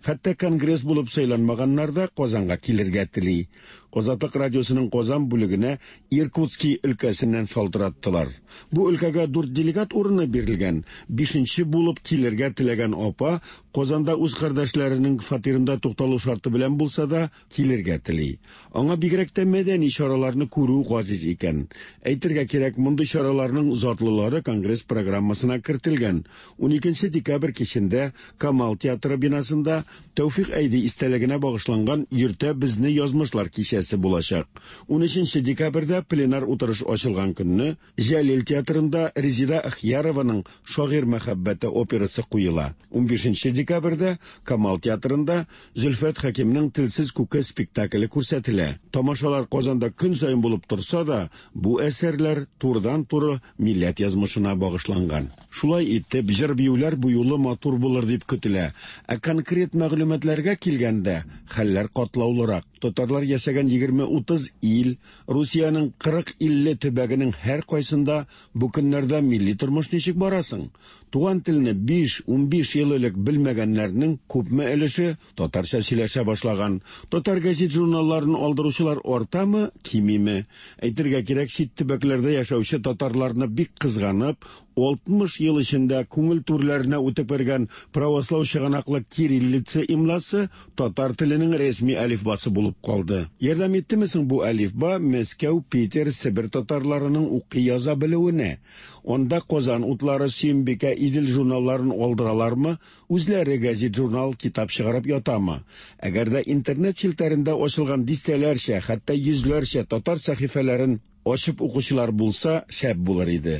Хәтта конгресс булып сайланмаганнар да Казанга килергә тели. Азатлык радиосының Казан бүлегенә Иркутский өлкәсеннән шалтыраттылар. Бу өлкәгә 4 делегат урыны бирелгән. 5нче булып килергә теләгән апа Казанда үз кардәшләренең фатирында тукталу шарты белән булса да килергә тели. Аңа бигрәк тә мәдәни чараларны күрү газиз икән. Әйтергә кирәк, мондый чараларның затлылары конгресс программасына кертелгән. 12 декабрь кичендә Камал театры бинасында Тәүфик Әйди истәлегенә багышланган Йөртә безне язмышлар кичәсе булачак. 13 декабрьдә пленар утырыш ачылган көнне Җәлил театрында Резида Ахиярованың Шагыйрь мәхәббәте операсы куела. 15 декабрьдә Камал театрында Зөлфәт Хәкимнең Телсез күке спектакле күрсәтелә. Тамашалар Казанда көн саен булып торса да, бу әсәрләр турыдан-туры милләт язмышына багышланган. Шулай итеп, җыр-биюләр бу юлы матур булыр дип көтелә. Ә конкрет мәгълүматларга килгәндә, хәлләр катлаулырак. Татарлар яшәгән 20-30 ил, Русиянең 40-50 төбәгенең һәр кайсында бу көннәрдә милли тормыш ничек барасың? Туган телне 5-15 ел элек белмәгәннәрнең күпме өлеше татарча сөйләшә башлаган? Татар газет-журналларын алдыручылар артамы, кимиме? Әйтергә кирәк, чит төбәкләрдә яшәүче татарларны бик кызганып, 60 ел эчендә күңел түрләренә үтеп кергән правослау чыганаклы кириллица имласы татар теленең рәсми әлифбасы булып калды. Ярдәм иттеме соң бу әлифба Мәскәү, Питер, Себер татарларының укый яза белүенә? Анда Казан утлары, Сөембикә, Идел журналларын алдыралармы, үзләре газет-журнал, китап чыгарып ятамы? Әгәр дә интернет челтәрендә ачылган дистәләрчә, хәтта йөзләрчә татар сәхифәләрен ачып укучылар булса, шәп булыр иде.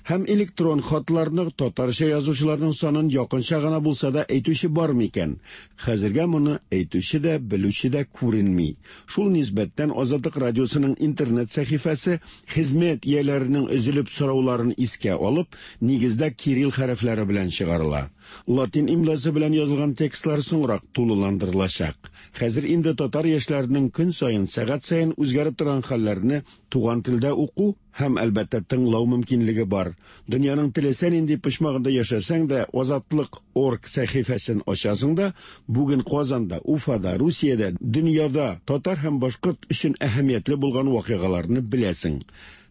Һәм электрон хатларны татарча язучыларның санын якынча гына булса да әйтүче бар микән? Хәзергә моны әйтүче дә, белүче дә күренми. Шул нисбәттән Азатлык радиосының интернет сәхифәсе хезмәт ияләренең өзелеп сорауларын искә алып, нигездә кирилл хәрефләре белән чыгарыла. Латин имласы белән язылган текстлар соңрак тулыландырылачак. Хәзер инде татар яшьләренең көн саен, сәгать саен үзгәреп торган хәлләрне туган телдә уку һәм, әлбәттә, тыңлау мөмкинлеге бар. Дөньяның теләсә нинди почмагында яшәсәң дә, Азатлык орг сәхифәсен ачасың да, бүген Казанда, Уфада, Русиядә, дөньяда татар һәм башкорт өчен әһәмиятле булган вакыйгаларны беләсең.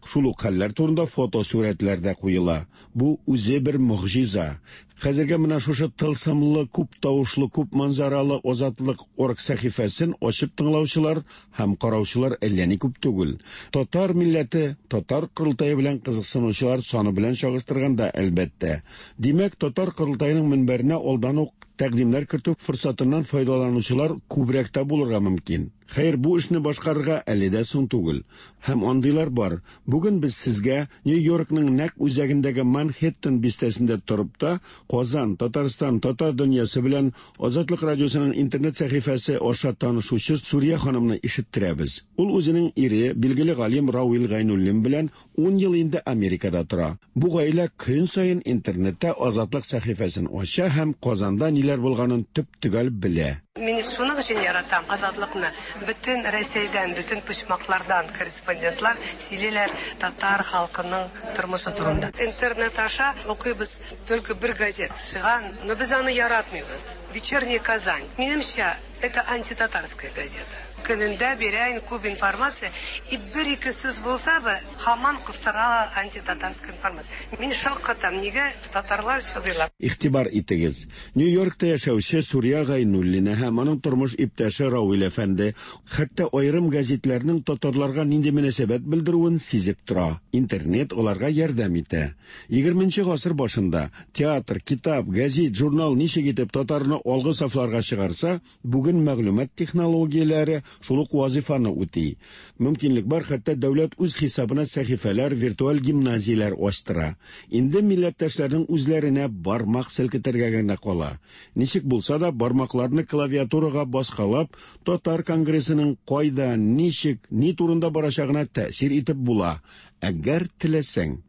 Шул ук хәлләр турында фотосурәтләр дә куела. Бу үзе бер могҗиза. Хәзергә менә шушы тылсымлы, күп тавышлы, күп манзаралы Азатлык орг сәхифәсен ачып тыңлаучылар һәм караучылар әллә ни күп түгел. Татар милләте, татар корылтае белән кызыксынучылар саны белән чагыштырганда, әлбәттә. Димәк, татар корылтаеның мөнбәренә алдан ук тәкъдимнәр кертү форсатыннан файдаланучылар күбрәк тә булырга мөмкин. Хәер, бу эшне башкарырга әле дә соң түгел. Һәм андыйлар бар. Бүген без сезгә Нью-Йоркның нәкъ үзәгендәге Манхэттен бистәсендә торып та, Казан, Татарстан, татар дөньясы белән Азатлык радиосының интернет сәхифәсе аша танышучы Сурия ханымны ишеттерәбез. Ул үзенең ире, билгеле галим Рауил Гайнуллин белән 10 ел инде Америкада тора. Бу гаилә көн саен интернетта Азатлык сәхифәсен ача һәм Казанда ниләр ниләр булганын төп-төгәл белә. Мин шуның өчен яратам Азатлыкны. Бөтен Рәсәйдән, бөтен почмаклардан корреспондентлар сөйлиләр татар халкының тормышы турында. Интернет аша укыйбыз только бер газет чыга, но без аны яратмыйбыз. Вечерняя Казань. Минемчә, это антитатарская газета. Көнендә бирә күп информация, и бер-ике сүз булса да, һаман кыстыра антитатарская информация. Мин шаккатам, нигә татарлар чыдыйлар? Игътибар итегез, Нью-Йоркта яшәүче Сурия Гайнуллина һәм аның тормыш иптәше Равил әфәнде хәтта аерым гәзитләрнең татарларга нинди мөнәсәбәт белдерүен сизеп тора. Интернет аларга ярдәм итә. Егерменче гасыр башында театр, китап, гәзит, журнал ничек итеп татарны алгы сафларга чыгарса, бүген мәгълүмат технологияләре шул ук вазифаны үти. Мөмкинлек бар, хәтта дәүләт үз хисабына сәхифәләр, виртуаль гимназияләр ачтыра. Инде милләттәшләрнең үзләренә бармак селкетергә генә кала. Ничек булса да бармакларны клавиатурага баскалап, Татар конгрессының кайда, ничек, ни турында барачагына тәэсир итеп була, әгәр теләсәң.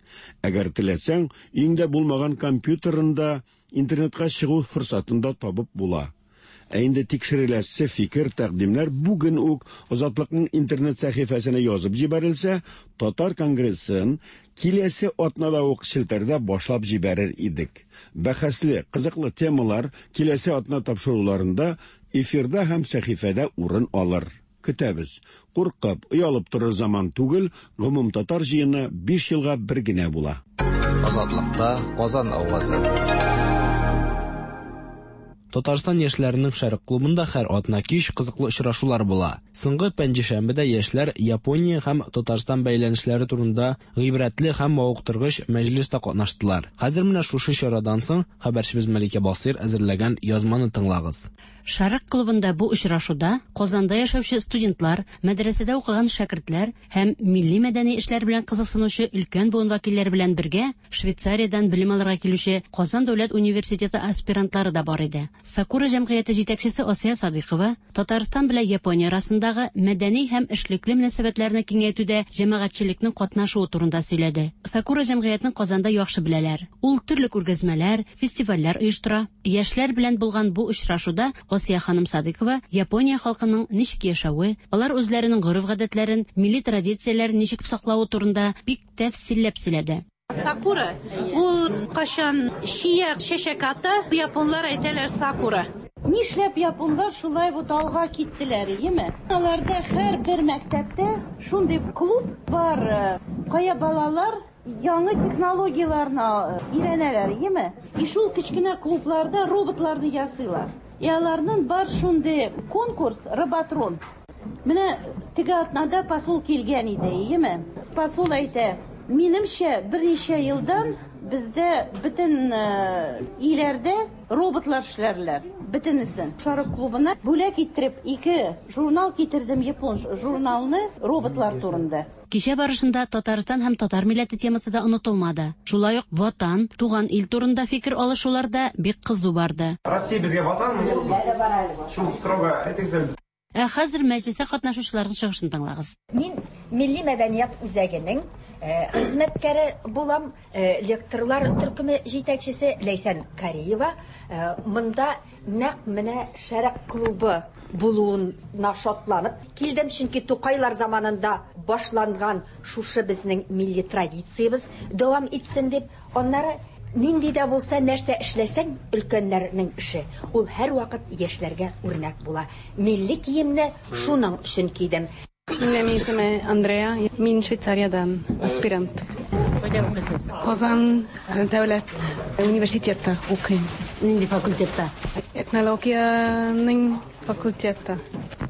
Әгәр теләсәң, өеңдә булмаган компьютерында интернетка чыгу форсатын да табып була. Ә инде тикшереләсе фикер, тәкъдимнәр бүген үк Азатлыкның интернет сәхифәсенә язып җибәрелсә, Татар конгрессын киләсе атнада ук челтәрдә башлап җибәрер идек. Бәхәсле, кызыклы темалар киләсе атна тапшыруларында эфирда һәм сәхифәдә урын алыр. Көтәбез. Куркып, оялып торыр заман түгел, гомумтатар җыены 5 елга бер генә була. Азатлыкта Казан авазы. Татарстан яшьләренең Шәрык клубында һәр атна кич кызыклы очрашулар була. Соңгы пәнҗешәмбедә яшьләр Япония һәм Татарстан бәйләнешләре турында гыйбрәтле һәм мавыктыргыч мәҗлестә катнаштылар. Хәзер менә шушы чарадан соң хәбәрчебез Мәликә Басыйр әзерләгән язманы тыңлагыз. Шәрык клубында бу очрашуда Казанда яшәүче студентлар, мәдрәсәдә укыган шәкертләр һәм милли мәдәни эшләр белән кызыксынучы өлкән буын вәкилләре белән бергә Швейцариядән белем алырга килүче Казан дәүләт университеты аспирантлары да бар иде. Сакура җәмгыяте җитәкчесе Асия Садыйкова Татарстан белән Япония арасындагы мәдәни һәм эшлекле мөнәсәбәтләрне киңәйтүдә җәмәгатьчелекнең катнашуы турында сөйләде. Сакура җәмгыятен Казанда яхшы беләләр. Ул төрле күргәзмәләр, фестивальләр оештыра. Яшьләр белән булган бу очрашуда Асия ханым Садыйкова Япония халкының ничек яшәве, алар үзләренең гореф-гадәтләрен, милли традицияләрен ничек саклавы турында бик тәфсилләп сөйләде. Сакура, ул кашан чия чәчәк ата, японлар әйтәләр сакура. Нишләп японлар шулай бу алга киттеләр, иеме? Аларда һәр бер мәктәптә шундый клуб бар, кая балалар яңа технологияләрне өйрәнәләр, иеме? И шул кечкенә клубларда роботларны ясыйлар. И аларның бар шундый конкурс Роботрон. Менә теге атнада посол килгән иде, иеме? Посол әйтә, минемчә, берничә елдан бездә бөтен иләрдә роботлар эшләрләр, бөтенесен. Шәрык клубына бүләк иттереп 2 журнал китердем, япон журналны роботлар турында. Кичә барышында Татарстан һәм татар милләте темасы да онытылмады. Шулай ук ватан, туган ил турында фикер алышулар да бик кызу барды. Россия безгә ватанмы, юкмы? Шул сорауга әйтегез әле. Ә хәзер мәҗлестә катнашучыларның чыгышын тыңлагыз. Мин Милли мәдәният үзәгенең хезмәткәре булам, лекторлар төркеме җитәкчесе Ләйсән Кариева. Монда нәкъ менә Шәрык клубы булуына шатланып килдем, чөнки Тукайлар заманында башланган шушы безнең милли традициябез дәвам итсен дип, аннары нинди дә булса нәрсә эшләсәң, өлкәннәрнең эше, ул һәрвакыт яшьләргә үрнәк була. Милли киемне шуның өчен кидем. Минем исемем Андрея, мин Швейцариядән аспирант. Кайда укыйсыз? Казан дәүләт университетта укыйм. Нинди факультетта? Этнологиянең факультетта.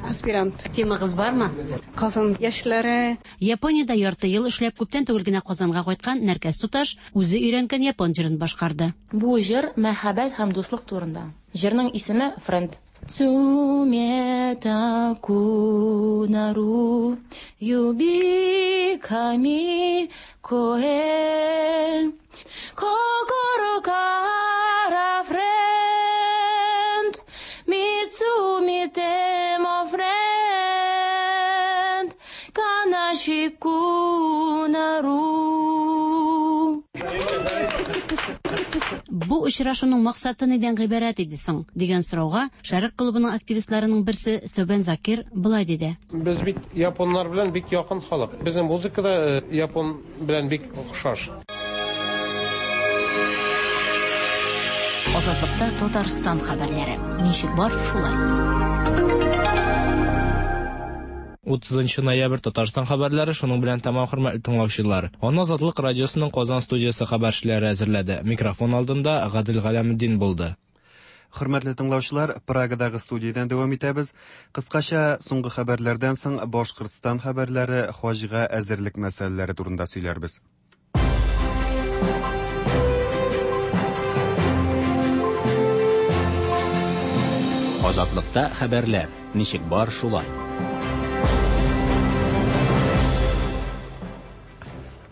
Аспирант. Темагыз бармы? Казан яшьләре. Япониядә ярты ел эшләп, күптән түгел генә Казанга кайткан Нәркәс туташ үзе өйрәнгән япон җырын башкарды. Бу җыр мәхәббәт һәм дуслык турында. Җырның исеме Френд. Цумета кунару юби ками коэ кокоро кара френд мицуми темо френд канаши кунару. Бу очрашуның максаты нидән гыйбарәт иде соң? дигән сорауга Шәрык клубының активистларының берсе Сөбән Закир болай диде. Без бит японнар белән бик якын халык. Безнең музыка да япон белән бик охшаш. Азатлыкта Татарстан хәбәрләре. Ничек бар, шулай. 30 ноябрь Татарстан хәбәрләре шуның белән тәмам, хөрмәтле тыңлаучылар. Аны Азатлык радиосының Казан студиясе хәбәрчеләре әзерләде. Микрофон алдында Гадел Галәметдин булды. Хөрмәтле тыңлаучылар, Прагадагы студиядән дәвам итәбез. Кыскача соңгы хәбәрләрдән соң Башкортстан хәбәрләре, хаҗга әзерлек мәсьәләләре турында сөйләрбез. Азатлыкта хәбәрләр. Ничек бар, шулай.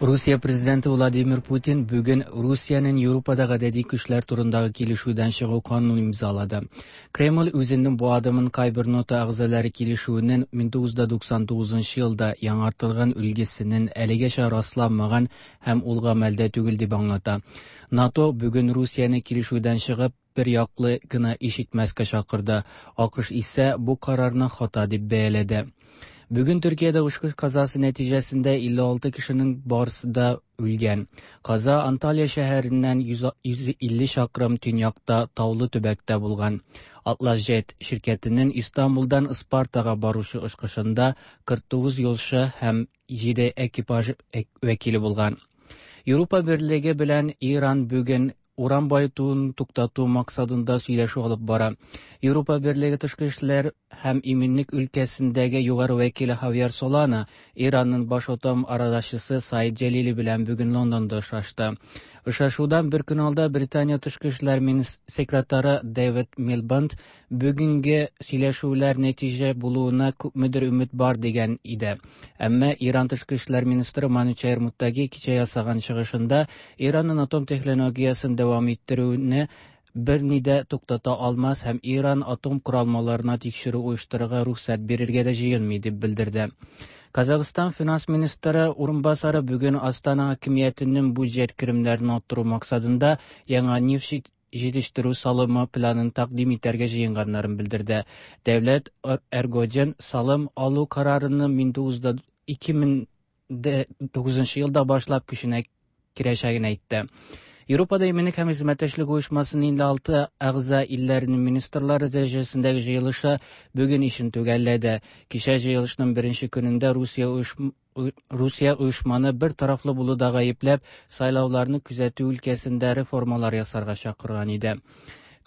Русия президенты Владимир Путин бүген Русиянең Европада гадәти көчләр турындагы килешүдән чыгу канунын имзалады. Кремль үзенең бу адымын кайбер НАТО әгъзалары килешүенең 1999 елда яңартылган өлгесенең әлегәчә расланмаган һәм ул гамәлдә түгел дип аңлата. НАТО бүген Русияне килешүдән чыгып бер яклы гына иш итмәскә чакырды. АКШ исә бу карарны хата дип бәяләде. Бүген Төркиядә очкыч казасы нәтиҗәсендә 56 кешенең барысы да үлгән. Каза Анталия шәһәреннән 150 чакрым төньякта таулы төбәктә булган. Атлас Jet ширкәтенең Истанбулдан Ыспартага баручы очкычында 49 юлчы һәм 7 экипаж вәкиле булган. Европа Берлеге белән Иран бүген уран баетуын туктату максатында сөйләшү алып бара. Европа Берлеге тышкы эшләр һәм иминлек өлкәсендәге югары вәкиле Хавьер Солана Иранның баш атом арадашчысы Саид Җәлили белән бүген Лондонда очрашты. Очрашудан бер көн алда Британия тышкы эшләр секретаре Дэвид Милбанд бүгенге сөйләшүләр нәтиҗә булуына күпмедер өмет бар дигән иде. Әмма Иран тышкы эшләр министры Манучехр Муттаги кичә ясаган чыгышында Иранның атом технологиясен дәвам иттерүне берни дә туктата алмас һәм Иран атом коралмаларына тикшерү оештырырга рөхсәт бирергә дә җыенмый дип белдерде. Казахстан финанс министры урынбасары бүген Астана хакимиятенең бюджет керемнәрен арттыру максатында яңа нефть җитештерү салымы планын тәкъдим итәргә җыенганнарын белдерде. Дәүләт Эргоҗин салым алу карарының 2009 елда башлап көченә кирәчәген әйтте. Европада иминлек һәм хезмәттәшлек оешмасының 56 әгъза илләренең министрлары дәрәҗәсендәге җыелышы бүген ишен төгәлләде. Кичә җыелышның беренче көнендә Русия оешманы бер тарафлы булуда гаепләп, сайлауларны күзәтү өлкәсендә реформалар ясарга чакырган иде.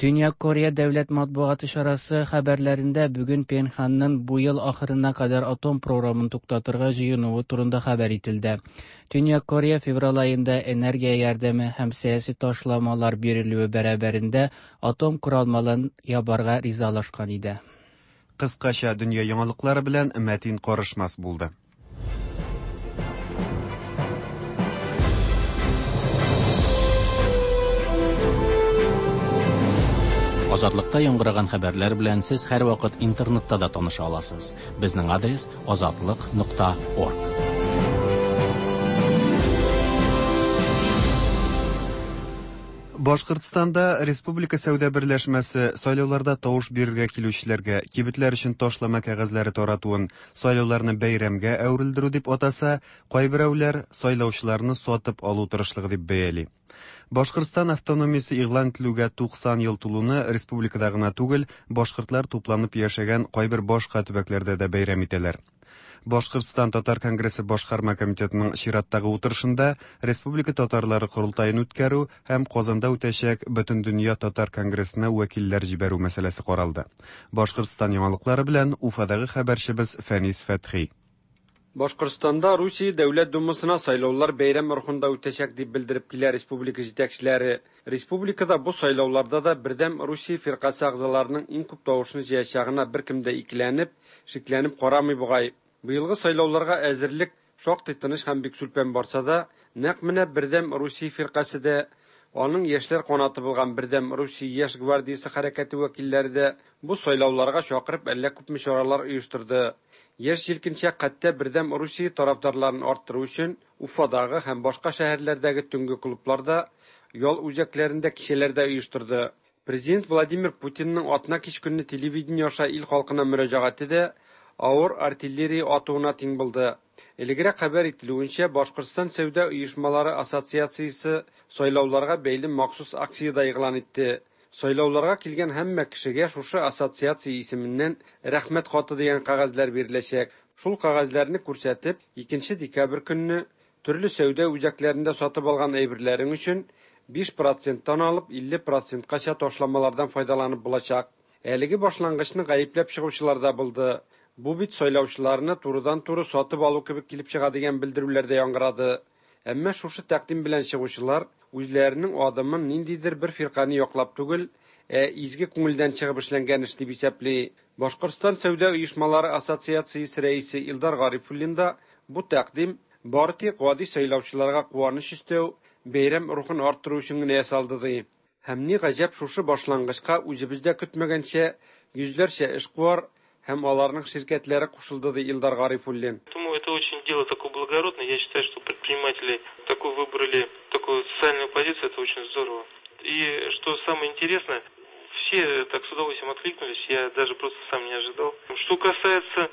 Төньяк Корея дәүләт матбугаты чарасы хәбәрләрендә бүген Пенханның бу ел ахырына кадәр атом програмын туктатырга җыенуы турында хәбәр ителде. Төньяк Корея февраль аенда энергия ярдәме һәм сәяси ташламалар бирелүе бәрабәрендә атом коралмаларын ябарга ризалашкан иде. Кыскача дөнья яңалыклары белән Мәтин Карышмас булды. Азатлыкта яңгыраган хәбәрләр белән сез һәрвакыт интернетта да таныша аласыз. Безнең адрес азатлык.орг. Башкортстанда Республика сәүдә берләшмәсе сайлауларда тавыш бирергә килүчеләргә кибетләр өчен ташлама кәгазьләре таратуын сайлауларны бәйрәмгә әверелдерү дип атаса, кайберәүләр сайлаучыларны сатып алу тырышлыгы дип бәяли. Башкортстан автономиясе игълан ителүгә 90 ел тулуны республикада гына түгел, башкортлар тупланып яшәгән кайбер башка төбәкләрдә дә бәйрәм итәләр. Башкортстан Татар конгрессы башкарма комитетының чираттагы утырышында Республика татарлары корылтаен үткәрү һәм Казанда үтәчәк Бөтендөнья татар конгрессына вәкилләр җибәрү мәсьәләсе каралды. Башкортстан яңалыклары белән Уфадагы хәбәрчебез Фәнис Фәтхи. Башкортстанда Русия Дәүләт Думасына сайлаулар бәйрәм рухында үтәчәк дип белдереп килә республика җитәкчеләре. Республикада бу сайлауларда да Бердәм Русия фиркасе әгъзаларының иң күп тавышны җыячагына беркем дә икеләнеп, шикләнеп карамый бугай. Быелгы сайлауларга әзерлек шактый тыныч һәм бик сүлпән барса да, нәкъ менә Бердәм Русия фиркасе дә, аның яшьләр канаты булган Бердәм Русия яшь гвардиясе хәрәкәте вәкилләре дә бу сайлауларга чакырып әллә күпме чаралар оештырды. Яшь җилкенчәк хәтта Бердәм Русия тарафдарларын арттыру өчен Уфадагы һәм башка шәһәрләрдәге төнге клубларда ял үзәкләрендә кичәләр дә оештырды. Президент Владимир Путинның атна кич көнне телевидение аша ил халкына мөрәҗәгате дә авыр артиллерия атуына тиң булды. Элегрәк хәбәр ителүенчә, Башкортстан сәүдә оешмалары ассоциациясе сайлауларга бәйле махсус акция дә игълан итте. Сайлауларга килгән һәммә кешегә шушы ассоциация исеменнән Рәхмәт хаты дигән кәгазьләр биреләчәк. Шул кәгазьләрне күрсәтеп, 2 декабрь көнне төрле сәүдә үзәкләрендә сатып алган әйберләрең өчен 5 проценттан алып 50 проценткача ташламалардан файдаланып булачак. Әлеге башлангычны гаепләп чыгучылар да булды. Бу бит сайлаучыларны турыдан-туры сатып алу кебек килеп чыга дигән белдерүләр дә яңгырады. Әмма шушы тәкъдим белән чыгучылар үзләренең адымын ниндидер бер фиркане яклап түгел, ә изге күңелдән чыгып эшләнгән эш дип исәпли. Башкортстан сәүдә оешмалары ассоциациясе рәисе Илдар Гарифуллин да бу тәкъдим бары тик гади сайлаучыларга куаныч өстәү, бәйрәм рухын арттыру өчен генә ясалды ди. Һәм ни гаҗәп, шушы башлангычка үзебез дә көтмәгәнчә йөзләрчә эшкуар һәм аларның ширкәтләре кушылды, ди Илдар Гарифуллин. Думаю, это очень дело такое благородное. Я считаю, что предприниматели такую выбрали, такую социальную позицию, это очень здорово. И что самое интересное, все так с удовольствием откликнулись, я даже просто сам не ожидал. Что касается,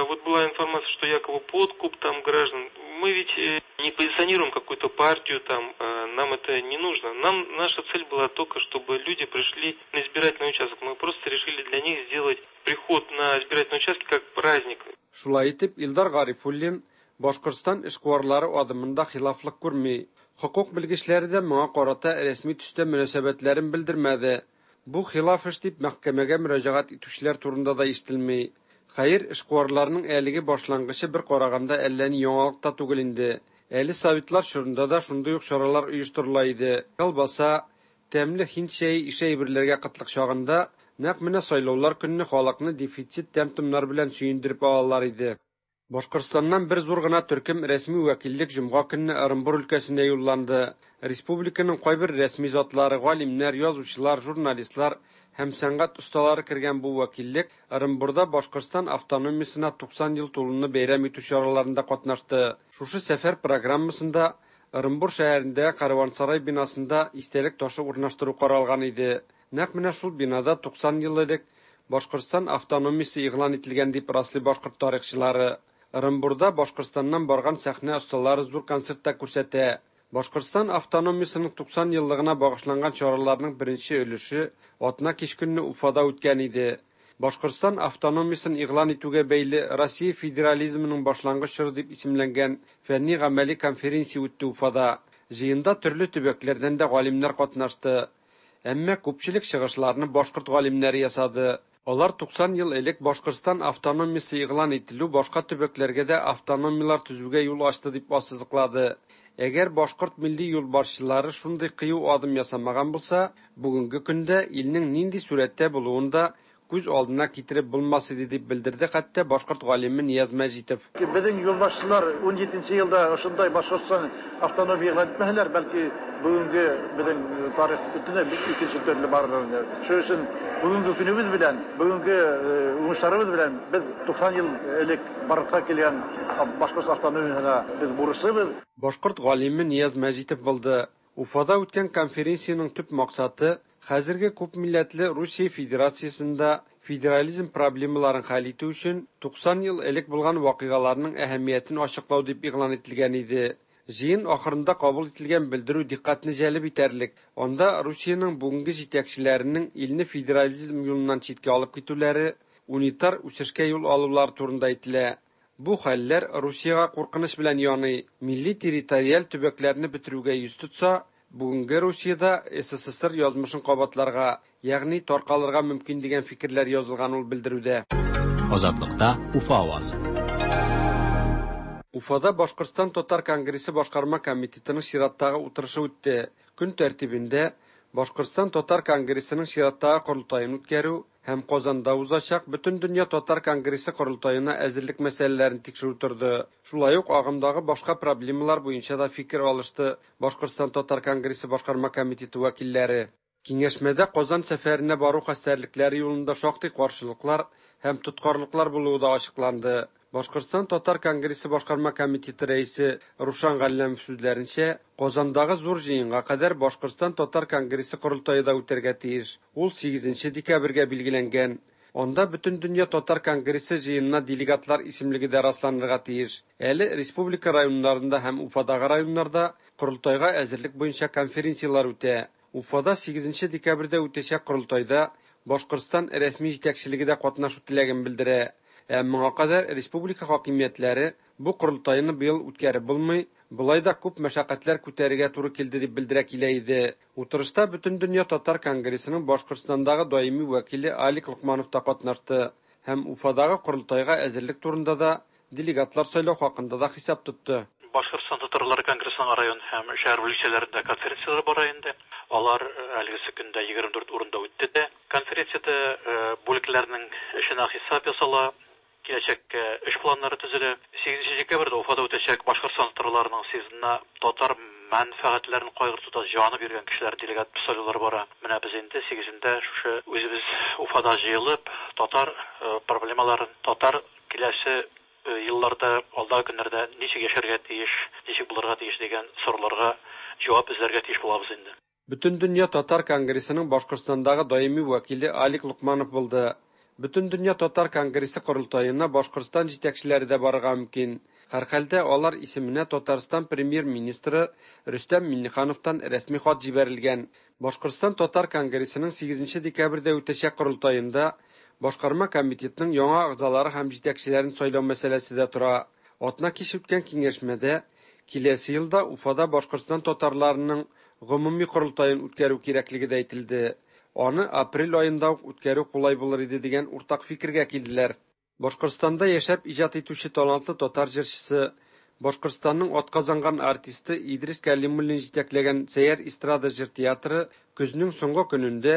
вот была информация, что якобы подкуп там граждан. Мы ведь не позиционируем какую-то партию, там, нам это не нужно. Нам наша цель была только, чтобы люди пришли на избирательный участок. Мы просто решили для них сделать приход на избирательный участок как праздник. Шулай итеп, Илдар Гарифуллин Башкортстан эшкуарлары адымында хилафлык күрми. Хокук белгечләре дә моңа карата рәсми төстә мөнәсәбәтләрен белдермәде. Бу хилаф эш дип мәхкәмәгә мөрәҗәгать итүчеләр турында да ишетелми. Хәер, эшкуарларның әлеге башлангычы бер караганда әллә ни яңалык та түгел инде. Әле советлар чорында да шундый ук чаралар оештырыла иде. Колбаса, тәмле һинд чәе ише әйберләргә кытлык чагында нәкъ менә сайлаулар көнне халыкны дефицит тәм-томнар белән сөендереп алалар иде. Башкортстаннан бер зур гына төркем рәсми вәкиллек җомга көнне Ырынбур өлкәсенә юлланды. Республиканың кайбер рәсми затлары, галимнәр, язучылар, журналистлар һәм сәнгать осталары кергән бу вәкиллек Ырынбурда Башкортстан автономиясенә 90 ел тулуны бәйрәм итү чараларында катнашты. Шушы сәфәр программасында Ырынбур шәһәрендә Караван-сарай бинасында истәлек ташы урнаштыру каралган иде. Нәкъ менә шул бинада 90 ел элек Башкортстан автономиясе игълан ителгән дип раслый башкорт тарихчылары. Ырынбурда Башкортстаннан барган сәхнә осталары зур концерт та күрсәтә. Башкортстан автономиясенең 90 еллыгына багышланган чараларның беренче өлеше атна кич көнне Уфада үткән иде. Башкортстан автономиясен игълан итүгә бәйле Россия федерализмының башлангыч чоры дип исемләнгән фәнни-гамәли конференция үтте Уфада. Җыенда төрле төбәкләрдән дә галимнәр катнашты. Әмма күпчелек чыгышларны башкорт галимнәре ясады. Алар 90 ел элек Башкортстан автономиясе игълан ителү башка төбәкләргә дә автономияләр төзүгә юл ачты дип ассызыклады. Әгәр башкорт милли юлбашчылары шундый кыю адым ясамаган булса, бүгенге көндә илнең нинди сурәттә булуын да күз алдына китереп булмас иде дип белдерде хәтта башкорт галиме Нияз Мәҗитов. Безнең юлбашчылар 17 елда ошондай Башкортстан автономия игълан итмәһәләр, бәлки бүгенге безнең тарих бөтенләй икенче төрле барыр иде. Шуның өчен бүгенге көнебез белән, бүгенге уңышларыбыз белән без 90 ел элек барлыкка килгән Башкорт автономиясенә без бурычлыбыз. Башкорт галиме Нияз Мәҗитов булды. Уфада үткән конференциянең төп максаты хәзерге күпмилләтле Русия Федерациясендә федерализм проблемаларын хәл итү өчен 90 ел элек булган вакыйгаларның әһәмиятен ачыклау дип игълан ителгән иде. Җыен ахырында кабул ителгән белдерү дикъкатьне җәлеп итәрлек. Анда Русиянең бүгенге җитәкчеләренең илне федерализм юлыннан читкә алып китүләре, унитар үсешкә юл алулары турында әйтелә. Бу хәлләр Русиягә куркыныч белән яный, милли территориаль төбәкләрне бетерүгә йөз тотса, бүгенге Русиядә СССР язмышын кабатларга, ягъни таркалырга мөмкин дигән фикерләр язылган ул белдерүдә. Азатлыкта Уфа авазы. Уфада Башкортстан Татар конгрессы башкарма комитетының чираттагы утырышы үтте. Көн тәртибендә Башкортстан Татар конгрессының чираттагы корылтаен үткәрү һәм Казанда узачак Бөтендөнья Татар конгрессы корылтаена әзерлек мәсьәләләрен тикшерү торды. Шулай ук агымдагы башка проблемалар буенча да фикер алышты Башкортстан Татар конгрессы башкарма комитеты вәкилләре. Киңәшмәдә Казан сәфәренә бару хәстәрлекләре юлында шактый каршылыклар һәм тоткарлыклар булуы да ачыкланды. Башкортстан татар конгрессы башкарма комитеты рәисе Рушан Галләмов сүзләренчә, Казандагы зур җыенга кадәр Башкортстан татар конгрессы корылтае да үтәргә тиеш. Ул 8 декабрьгә билгеләнгән. Анда Бөтендөнья татар конгрессы җыенына делегатлар исемлеге дә расланырга тиеш. Әле республика районнарында һәм Уфадагы районнарда корылтайга әзерлек буенча конференцияләр үтә. Уфада 8 декабрьдә үтәчәк корылтайда Башкортстан рәсми җитәкчелеге дә катнашу теләген белдерә. Ә моңа кадәр республика хакимиятләре бу корылтайны быел үткәреп булмый, болай да күп мәшәкатьләр күтәрергә туры килде дип белдерә килә иде. Утырышта Бөтендөнья татар конгрессының Башкортстандагы даими вәкиле Алик Локманов та катнашты һәм Уфадагы корылтайга әзерлек турында да, делегатлар сайлау хакында да хисап тотты. Башкортстан татарлары конгрессының район һәм шәһәр бүлекчәләрендә конференцияләр бара инде. Алар әлегесе көндә 24 урында үтте дә. Конференциядә бүлекләрнең эшенә хисап ясала, киләчәккә эш планнары төзелә. 8 декабрьдә Уфада үтәчәк Башкортстан татарларының съездына татар мәнфәгатьләрен кайгыртуда җаны биргән кешеләр делегат сайлаулар бара. Менә без инде 8-ндә шушы үзебез Уфада җыелып, татар проблемаларын, татар киләсе елларда, алдагы көннәрдә ничек яшәргә тиеш, ничек булырга тиеш дигән сорауларга җавап эзләргә тиеш булабыз инде. Бөтендөнья татар конгрессының Башкортстандагы даими вәкиле Алик Локманов булды. Бөтендөнья татар конгрессы корылтаена Башкортстан җитәкчеләре дә барырга мөмкин. Һәрхәлдә алар исеменә Татарстан премьер-министры Рөстәм Миңнехановтан рәсми хат җибәрелгән. Башкортстан татар конгрессының 8 декабрьдә үтәчәк корылтаенда башкарма комитетның яңа әгъзалары һәм җитәкчеләрен сайлау мәсьәләсе дә тора. Атна кич үткән киңәшмәдә киләсе елда Уфада Башкортстан татарларының гомуми корылтаен үткәрү кирәклеге дә әйтелде. Аны апрель аенда ук үткәрү кулай булыр иде дигән уртак фикергә килделәр. Башкортстанда яшәп иҗат итүче талантлы татар җырчысы, Башкортстанның атказанган артисты Идрис Кәлимуллин җитәкләгән Сәйяр эстрада җыр театры көзнең соңгы көнендә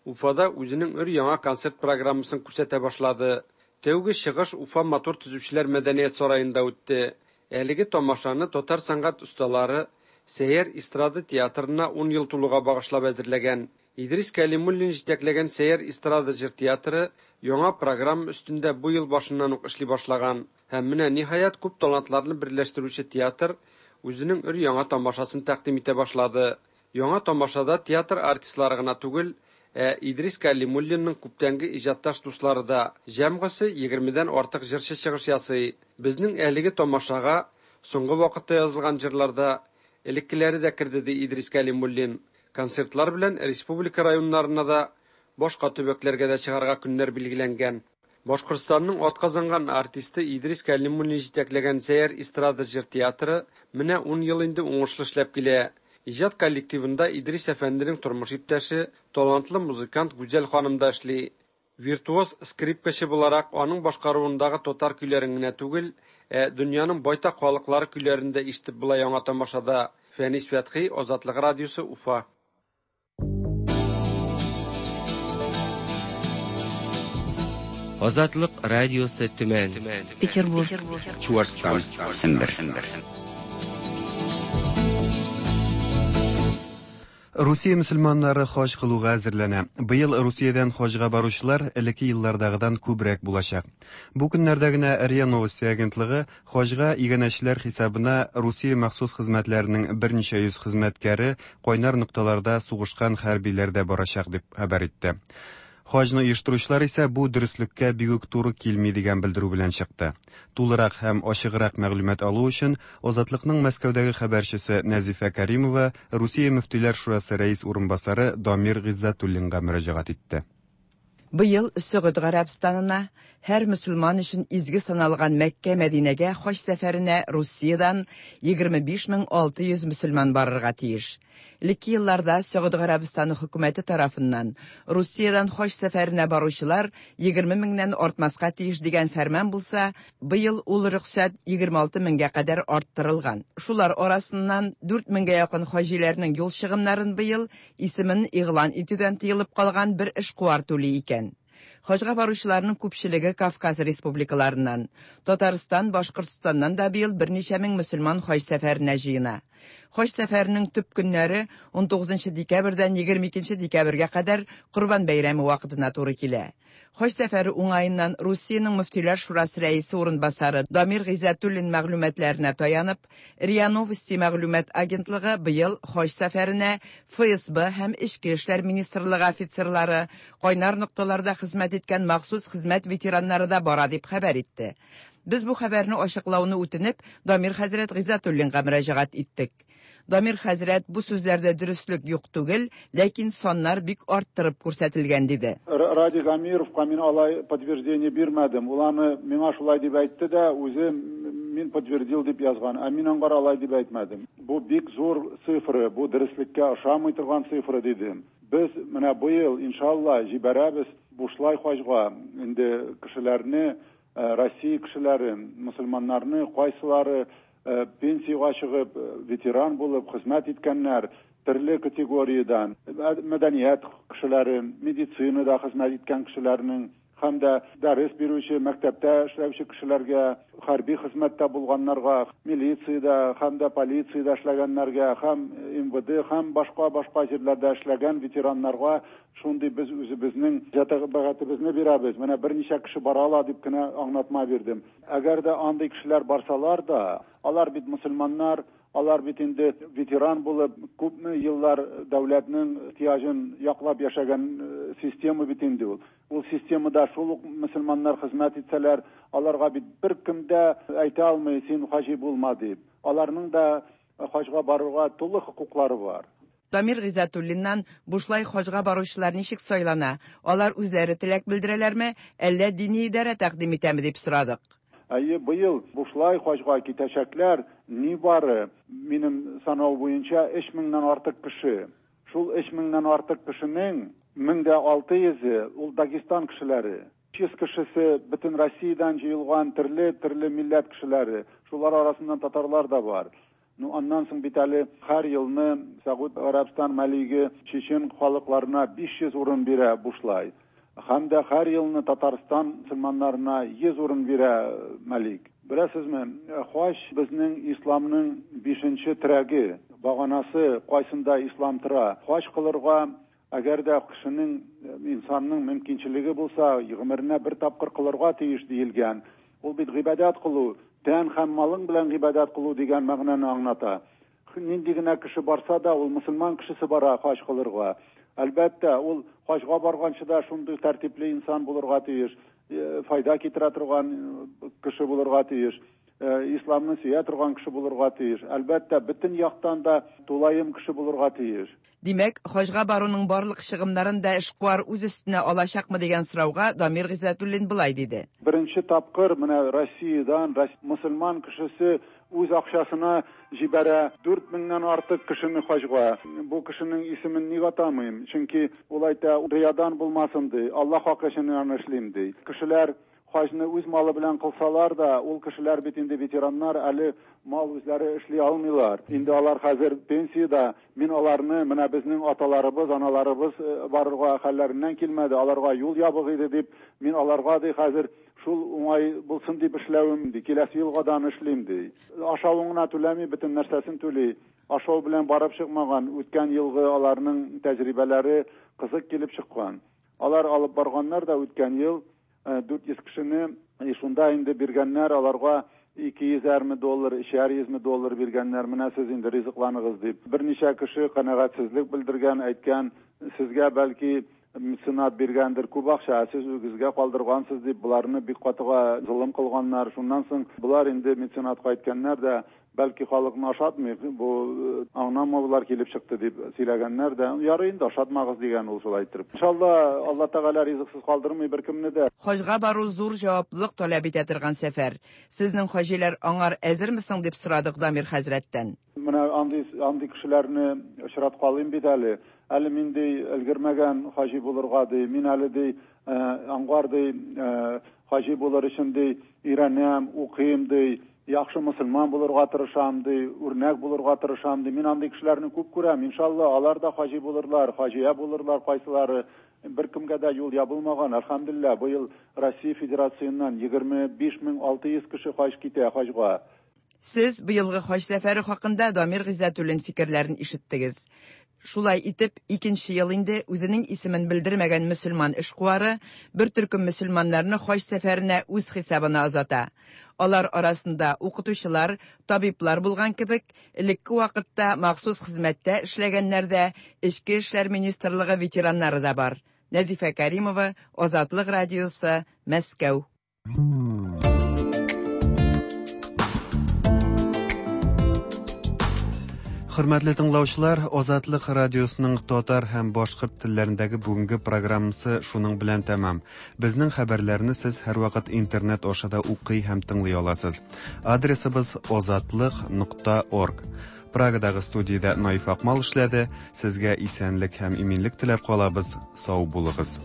Уфада үзенең өр-яңа концерт программасын күрсәтә башлады. Тәүге чыгыш Уфа матур төзүчеләр мәдәният сараенда үтте. Әлеге тамашаны татар сәнгать осталары Сәйяр эстрада театрына 10 ел тулуга багышлап әзерләгән. Идрис Кәлимуллин җитәкләгән Сәйяр эстрада җыр театры яңа программа өстендә бу ел башыннан ук эшли башлаган. Һәм менә ниһаять күп талантларны берләштерүче театр үзенең өр-яңа тамашасын тәкъдим итә башлады. Яңа тамашада театр артистлары гына түгел, ә Идрис Кәлимуллинның күптәнге иҗатташ дуслары да, җәмгысе 20дән артык җырчы чыгыш ясый. Безнең әлеге тамашага соңгы вакытта язылган җырларда элеккеләре дә керде, ди Идрис Кәлимуллин. Концертлар белән республика районнарына да, башка төбәкләргә дә чыгарга көннәр билгеләнгән. Башкортстанның атказанган артисты Идрис Кәлимуллин җитәкләгән Сәйяр эстрада җыр театры менә 10 ел инде уңышлы эшләп килә. Иҗат коллективында Идрис әфәнденең тормыш иптәше, талантлы музыкант Гүзәл ханым да эшли. Виртуоз скрипкачы буларак аның башкаруындагы татар көйләрен генә түгел, ә дөньяның байтак халыклары көйләрен дә ишетеп була яңа тамашада. Фәнис Фәтхи, Азатлык радиосы, Уфа. Азатлык радиосы Төмән. Петербург. Чуашстан. Сембер. Русия мөселманнары хаҗ кылуга әзерләнә. Быел Русиядән хаҗга баручылар элекке еллардагыдан күбрәк булачак. Бу көннәрдә генә РИА Новости агентлыгы хаҗга иганәчеләр хисабына Русия махсус хезмәтләренең берничә йөз хезмәткәре кайнар нокталарда сугышкан хәрбиләр дә барачак дип хәбәр итте. Хаҗны оештыручылар исә бу дөреслеккә бик үк туры килми дигән белдерү белән чыкты. Тулырак һәм ачыграк мәгълүмат алу өчен Азатлыкның Мәскәүдәге хәбәрчесе Нәзифә Кәримова Русия мөфтиләр шурасы рәис урынбасары Дамир Гыйззәтуллинга мөрәҗәгать итте. Быел Сөгуд Гарәбстанына, һәр мөселман өчен изге саналган Мәккә-Мәдинәгә хаҗ сәфәренә Русиядән 25600 мөселман барырга тиеш. Элекке елларда Сөгуд Гарәбстаны хөкүмәте тарафыннан Русиядән хаҗ сәфәренә баручылар 20 меңнән артмаска тиеш дигән фәрман булса, быел ул рөхсәт 26 меңгә кадәр арттырылган. Шулар арасыннан 4 меңгә якын хаҗиләрнең юл чыгымнарын быел исемен игълан итүдән тыелып калган бер эшкуар түли икән. Хаҗга баручыларның күпчелеге Кавказ республикаларыннан. Татарстан, Башкортстаннан да быел берничә мең мөселман хаҗ сәфәренә җыена. Хаҗ сәфәренең төп көннәре 19 декабрьдән 22 декабрьгә кадәр Корбан бәйрәме вакытына туры килә. Хаҗ сәфәре уңаеннан Русиянең Мөфтиләр шурасы рәисе урынбасары Дамир Гыйззәтуллин мәгълүматларына таянып, РИА Новости мәгълүмат агентлыгы быел хаҗ сәфәренә ФСБ һәм Эчке эшләр министрлыгы офицерлары, кайнар нокталарда хезмәт иткән махсус хезмәт ветераннары да бара дип хәбәр итте. Без бу хәбәрне ачыклауны үтенеп, Дамир хәзрәт Гыйззәтуллинга мөрәҗәгать иттек. Дамир хәзрәт бу сүзләрдә дөреслек юк түгел, ләкин саннар бик арттырып күрсәтелгән диде. Радик Амировка мин алай подтверждение бирмәдем. Ул аны миңа шулай дип әйтте дә, үзе мин подтвердил дип язган. Ә мин аңгар алай дип әйтмәдем. Бу бик зур цифра, бу дөреслеккә ошамый торган цифра дидем. Без менә быел, иншалла, җибәрәбез бушлай хаҗга инде кешеләрне, Россия кешеләрен, мөселманнарны, кайсылары пенсиягә чыгып, ветеран булып хезмәт иткәннәр, төрле категориядән, мәдәният кешеләре, медицинада хезмәт иткән кешеләрнең һәм дә дәрес бирүче, мәктәптә эшләүче кешеләргә, хәрби хезмәттә булганнарга, милициядә һәм дә полициядә эшләгәннәргә, һәм МВД һәм башка-башка җирләрдә эшләгән ветераннарга шундый без үзебезнең җәтәбәгатебезне бирәбез. Менә берничә кеше бара ала дип кенә аңлатма бирдем. Әгәр дә андый кешеләр барсалар да, алар бит мөселманнар, алар бит инде ветеран булып, күпме еллар дәүләтнең ихтыяҗын яклап яшәгән система бит инде ул. Ул системада шул ук мөселманнар хезмәт итсәләр, аларга бит беркем дә әйтә алмый, син хаҗи булма дип. Аларның да хаҗга барырга тулы хокуклары бар. Дамир Гыйззәтуллиннан бушлай хаҗга баручылар ничек сайлана, алар үзләре теләк белдерәләрме, әллә дини идарә тәкъдим итәме дип сорадык. Әйе, быел бушлай хаҗга китәчәкләр нибары, минем санау буенча, 3 меңнән артык кеше. Шул 3 меңнән артык кешенең 1600-е ул Дагестан кешеләре. 300 кешесе бөтен Россиядән җыелган төрле-төрле милләт кешеләре. Шулар арасыннан татарлар да бар. Ну, аннан соң бит әле һәр елны Сәгуд Гарәбстан мәлиге чечен халыкларына 500 урын бирә бушлай. Һәм дә һәр елны Татарстан мөселманнарына 100 урын бирә мәлик. Беләсезме, хаҗ безнең исламның бишенче терәге, баганасы, кайсында ислам тора. Хаҗ кылырга әгәр дә кешенең, инсанның мөмкинчелеге булса, гомеренә бер тапкыр кылырга тиеш диелгән. Ул бит гыйбадәт кылу, тән һәм малың белән гыйбадәт кылу дигән мәгънәне аңлата. Нинди генә кеше барса да, ул мөселман кешесе бара хаҗ кылырга. Әлбәттә, ул хаҗга барганчы да шундый тәртипле инсан булырга тиеш, файда китерә торган кеше булырга тиеш, исламны сөя торган кеше булырга тиеш. Әлбәттә, бөтен яктан да тулаем кеше булырга тиеш. Димәк, хаҗга баруның барлык чыгымнарын да эшкуар үз өстенә алачакмы дигән сорауга Дамир Гыйззәтуллин болай диде. Беренче тапкыр менә Россиядән мөселман кешесе үз акчасына җибәрә 4 меңнән артык кешене хаҗга. Бу кешенең исемен ник атамыйм? Чөнки ул әйтә, риядан булмасын ди, Аллаһ хакы өчен аны эшлим ди. Кешеләр хаҗны үз малы белән кылсалар да, ул кешеләр бит инде ветераннар, әле мал үзләре эшли алмыйлар. Инде алар хәзер пенсиядә. Мин аларны, менә безнең аталарыбыз, аналарыбыз барырга хәлләреннән килмәде, аларга юл ябык иде дип, мин аларга ди хәзер шул уңай булсын дип эшләвем ди. Киләсе елга да аны эшлим ди. Ашавын гына түләми, бөтен нәрсәсен түли. Ашау белән барып чыкмаган, үткән елгы аларның тәҗрибәләре кызык килеп чыккан. Алар алып барганнар да үткән ел 400 кешене, и шунда инде биргәннәр аларга 200 доллар, 300 доллар биргәннәр, менә сез инде ризыкланыгыз дип. Берничә кеше канәгатьсезлек белдергән, әйткән, сезгә бәлки меценат биргәндер күп акча, ә сез үзегезгә калдыргансыз дип, боларны бик катыга золым кылганнар. Шуннан соң болар инде меценатка әйткәннәр дә, бәлки халыкны ашатмый, бу аңламаулар килеп чыкты дип сөйләгәннәр дә, ярый инде ашатмагыз дигән ул шулай иттереп. Иншалла, Алла Тәгалә ризыксыз калдырмый беркемне дә. Хаҗга бару зур җаваплылык таләп итә торган сәфәр. Сезнең хаҗиләр аңар әзерме соң дип сорадык Дамир хәзрәттән. Менә андый кешеләрне очраткалыйм бит әле. Әле мин ди өлгермәгән хаҗи булырга ди, мин әле ди аңгар ди хаҗи булыр өчен ди өйрәнәм, укыйм ди, яхшы мөселман булырга тырышам ди, үрнәк булырга тырышам ди. Мин андый кешеләрне күп күрәм. Иншалла, алар да хаҗи булырлар, хаҗия булырлар кайсылары. Беркемгә дә юл ябылмаган. Әлхәмдүлилләһ, быел Россия Федерациясеннән 25600 кеше хаҗ китә хаҗга. Сез быелгы хаҗ сәфәре хакында Дамир Гыйззәтуллин фикерләрен ишеттегез. Шулай итеп, икенче ел инде үзенең исемен белдермәгән мөселман эшкуары бер төркем мөселманнарны хаҗ сәфәренә үз хисабына озата. Алар арасында укытучылар, табиблар булган кебек, элекке вакытта махсус хезмәттә эшләгәннәр дә, Эчке эшләр министрлыгы ветераннары да бар. Нәзифә Кәримова, Азатлык радиосы, Мәскәү. Хөрмәтле тыңлаучылар, Азатлык радиосының татар һәм башкорт телләрендәге бүгенге программасы шуның белән тәмам. Безнең хәбәрләрне сез һәрвакыт интернет аша да укый һәм тыңлый аласыз. Адресыбыз азатлык.орг. Прагадагы студиядә Наиф Акмал эшләде. Сезгә исәнлек һәм иминлек теләп калабыз. Сау булыгыз.